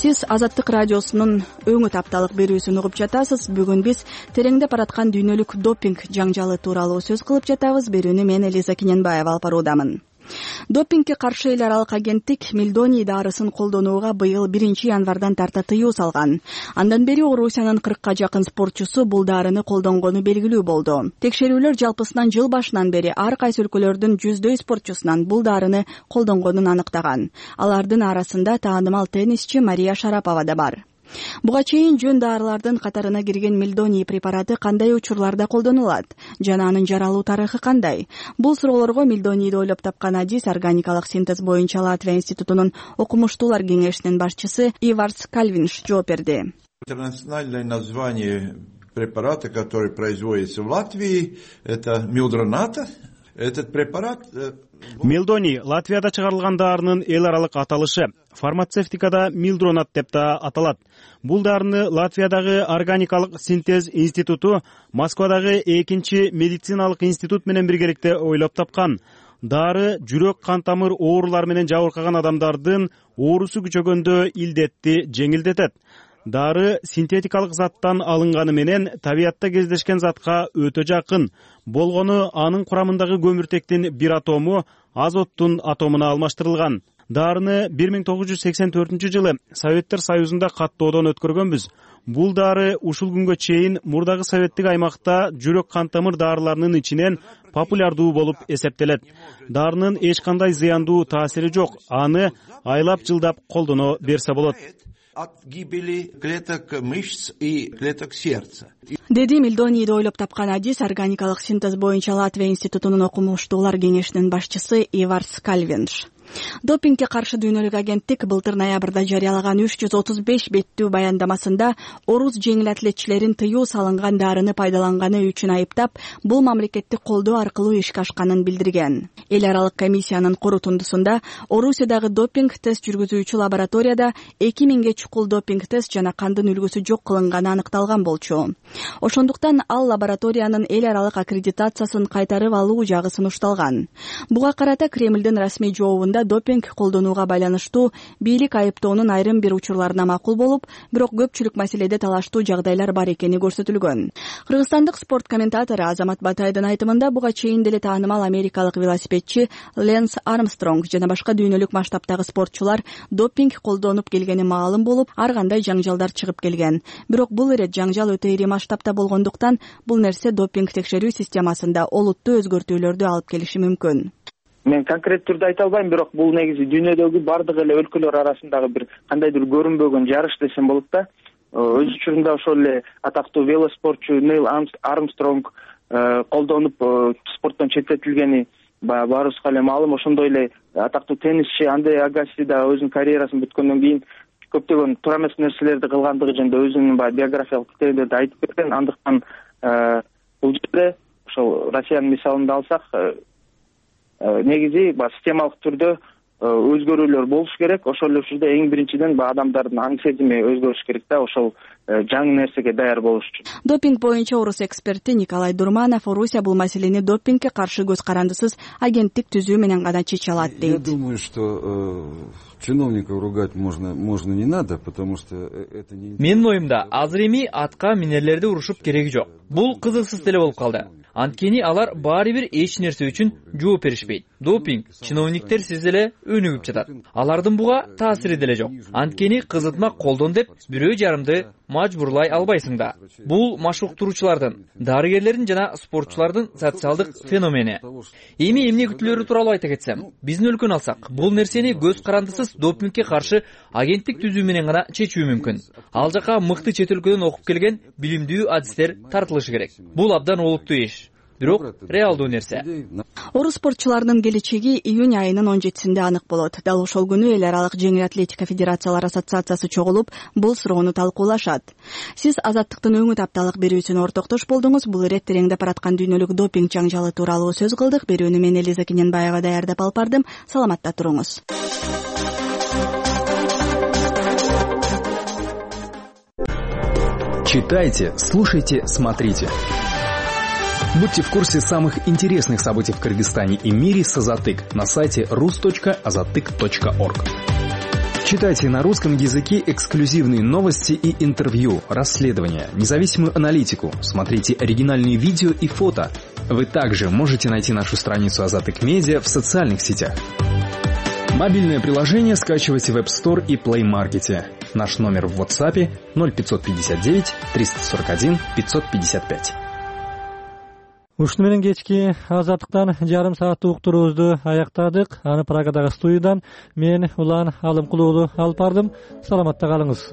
Сиз Азаттык радиосунун өңү тапталык берүүсүн угуп жатасыз. Бүгүн биз тереңдеп бараткан дүйнөлүк допинг жаңжалы тууралуу сөз кылып жатабыз. Берүүнү мен Элиза Кененбаева алып баруудамын. Допингге каршы эл аралык агенттик мелдоний дарысын колдонууга быйыл биринчи январдан тарта тыюу салган. Андан бери Орусиянын кыркка жакын спортчусу бул дарыны колдонгону белгилүү болду. Текшерүүлөр жалпысынан жыл башынан бери ар кайсы өлкөлөрдүн жүздөй спортчусунан бул дарыны колдонгонун аныктаган. Алардын арасында таанымал теннисчи Мария Шарапова да бар. Буга чейин жөн дарылардын катарына кирген мелдоний препараты кандай учурларда колдонулат жана анын жаралуу тарыхы кандай? Бул суроолорго мелдонийди ойлоп тапкан адис органикалык синтез боюнча Латвия институтунун окумуштуулар кеңешинин башчысы Иварс Кальвинш жооп берди. Интернациональное название препарата, который производится в Латвии, это милдроната. Этот препарат Мелдоний Латвияда чыгарылган дарынын эл аралык аталышы. Фармацевтикада милдронат деп да аталат. Бул дарыны Латвиядагы органикалык синтез институту Москвадагы экинчи медициналык институт менен биргеликте ойлоп тапкан. Дары жүрөк кан тамыр оорулары менен жабыркаган адамдардын оорусу күчөгөндө илдетти жеңилдетет. Дары синтетикалык заттан алынганы менен табиятта кездешкен затка өтө жакын. Болгону анын курамындагы көмүртектин бир атому азоттун атомуна алмаштырылган. Дарыны бир миң тогуз жүз сексен төртүнчү жылы Советтер Союзунда каттоодон өткөргөнбүз. Бул дары ушул күнгө чейин мурдагы советтик аймакта жүрөк кан тамыр дарыларынын ичинен популярдуу болуп эсептелет. Дарынын эч кандай зыяндуу таасири жок. Аны айлап жылдап колдоно берсе болот. От гибели клеток мышц и клеток сердца. Деди мелдонийди ойлоп тапкан адис органикалык синтез боюнча Латвия институтунун окумуштуулар кеңешинин башчысы Иварс Кальвинш. Допингге каршы дүйнөлүк агенттик былтыр ноябрда жарыялаган үч жүз отуз беш беттүү баяндамасында орус жеңил атлетчилерин тыюу салынган дарыны пайдаланганы үчүн айыптап, бул мамлекеттик колдоо аркылуу ишке ашканын билдирген. Эл аралык комиссиянын корутундусунда Орусиядагы допинг тест жүргүзүүчү лабораторияда эки миңге чукул допинг тест жана кандын үлгүсү жок кылынганы аныкталган болчу. Ошондуктан ал лабораториянын эл аралык аккредитациясын кайтарып алуу жагы сунушталган. Буга карата Кремлдин расмий жообунда допинг колдонууга байланыштуу бийлик айыптоонун айрым бир учурларына макул болуп, бирок көпчүлүк маселеде талаштуу жагдайлар бар экени көрсөтүлгөн. Кыргызстандык спорт комментатору Азамат Батайдын айтымында буга чейин деле таанымал америкалык велосипедчи Ленс Армстронг жана башка дүйнөлүк масштабтагы спортчулар допинг колдонуп келгени маалым болуп, ар кандай жаңжалдар чыгып келген. Бирок бул ирет жаңжал өтө ири масштабта болгондуктан бул нерсе допинг текшерүү системасында олуттуу өзгөртүүлөрдү алып келиши мүмкүн. Мен конкрет түрдө айта албайм, бирок бул негизи дүйнөдөгү бардык эле өлкөлөр арасындагы бир кандайдыр көрүнбөгөн жарыш десем болот да. Өз учурунда ошол эле атактуу велоспортчу Нейл Армстронг колдонуп спорттон четтетилгени баарыбызга эле маалым. Ошондой эле атактуу теннисчи Андре Агаси да өзүнүн карьерасын бүткөндөн кийин көптөгөн туура эмес нерселерди кылгандыгы жөнүндө өзүнүн баягы биографиялык китебинде айтып берген. Андыктан бул жерде ошол Россиянын мисалын да алсак, негизи баягы системалык түрдө өзгөрүүлөр болуш керек. Ошол эле учурда эң биринчиден баягы адамдардын аң сезими өзгөрүш керек да, ошол жаңы нерсеге даяр болуш үчүн. Допинг боюнча орус эксперти Николай Дурманов Орусия бул маселени допингге каршы көз карандысыз агенттик түзүү менен гана чече алат дейт. Я думаю, что чиновников ругать можно, можно не надо, потому что это не... Менин оюмда азыр эми атка минерлерди урушуп кереги жок. Бул кызыксыз деле болуп калды. Анткени алар баары бир эч нерсе үчүн жооп беришпейт. Допинг чиновниктер сиз эле өнүгүп жатат. Алардын буга таасири деле жок. Анткени кызытма колдон деп бирөө жарымды мажбурлай албайсың да. Бул машыктыруучулардын, дарыгерлердин жана спортчулардын социалдык феномени. Эми эмне күтүлөрү тууралуу айта кетсем, биздин өлкөнү алсак, бул нерсени көз карандысыз допингге каршы агенттик түзүү менен гана чечүү мүмкүн. Ал жака мыкты чет өлкөдөн окуп келген билимдүү адистер тартылышы керек. Бул абдан олуттуу иш. Бирок реалдуу нерсе. Орус спортчуларынын келечеги июнь айынын он жетисинде анык болот. Дал ошол күнү эл аралык жеңил атлетика федерациялар ассоциациясы чогулуп, бул суроону талкуулашат. Сиз Азаттыктын өңү тапталык берүүсүнө ортоктош болдуңуз. Бул ирет тереңдеп бараткан дүйнөлүк допинг жаңжалы тууралуу сөз кылдык. Берүүнү мен Элиза Кененбаева даярдап алып бардым. Саламатта туруңуз. Читайте, слушайте, смотрите. Будьте в курсе самых интересных событий в Кыргызстане и мире с Азатык на сайте рус точка азатык точка орг. Читайте на русском языке эксклюзивные новости и интервью, расследования, независимую аналитику, смотрите оригинальные видео и фото. Вы также можете найти нашу страницу Азатык Медиа в социальных сетях. Мобильное приложение скачивайте в App Store и Play Market. Наш номер в WhatsApp ноль пятьсот пятьдесят девять триста сорок один пятьсот пятьдесят пять. Ушуну менен кечки Азаттыктан жарым сааттык уктуруубузду аяктадык. Аны Прагадагы студиядан мен Улан Алымкулуулу алып бардым. Саламатта калыңыз.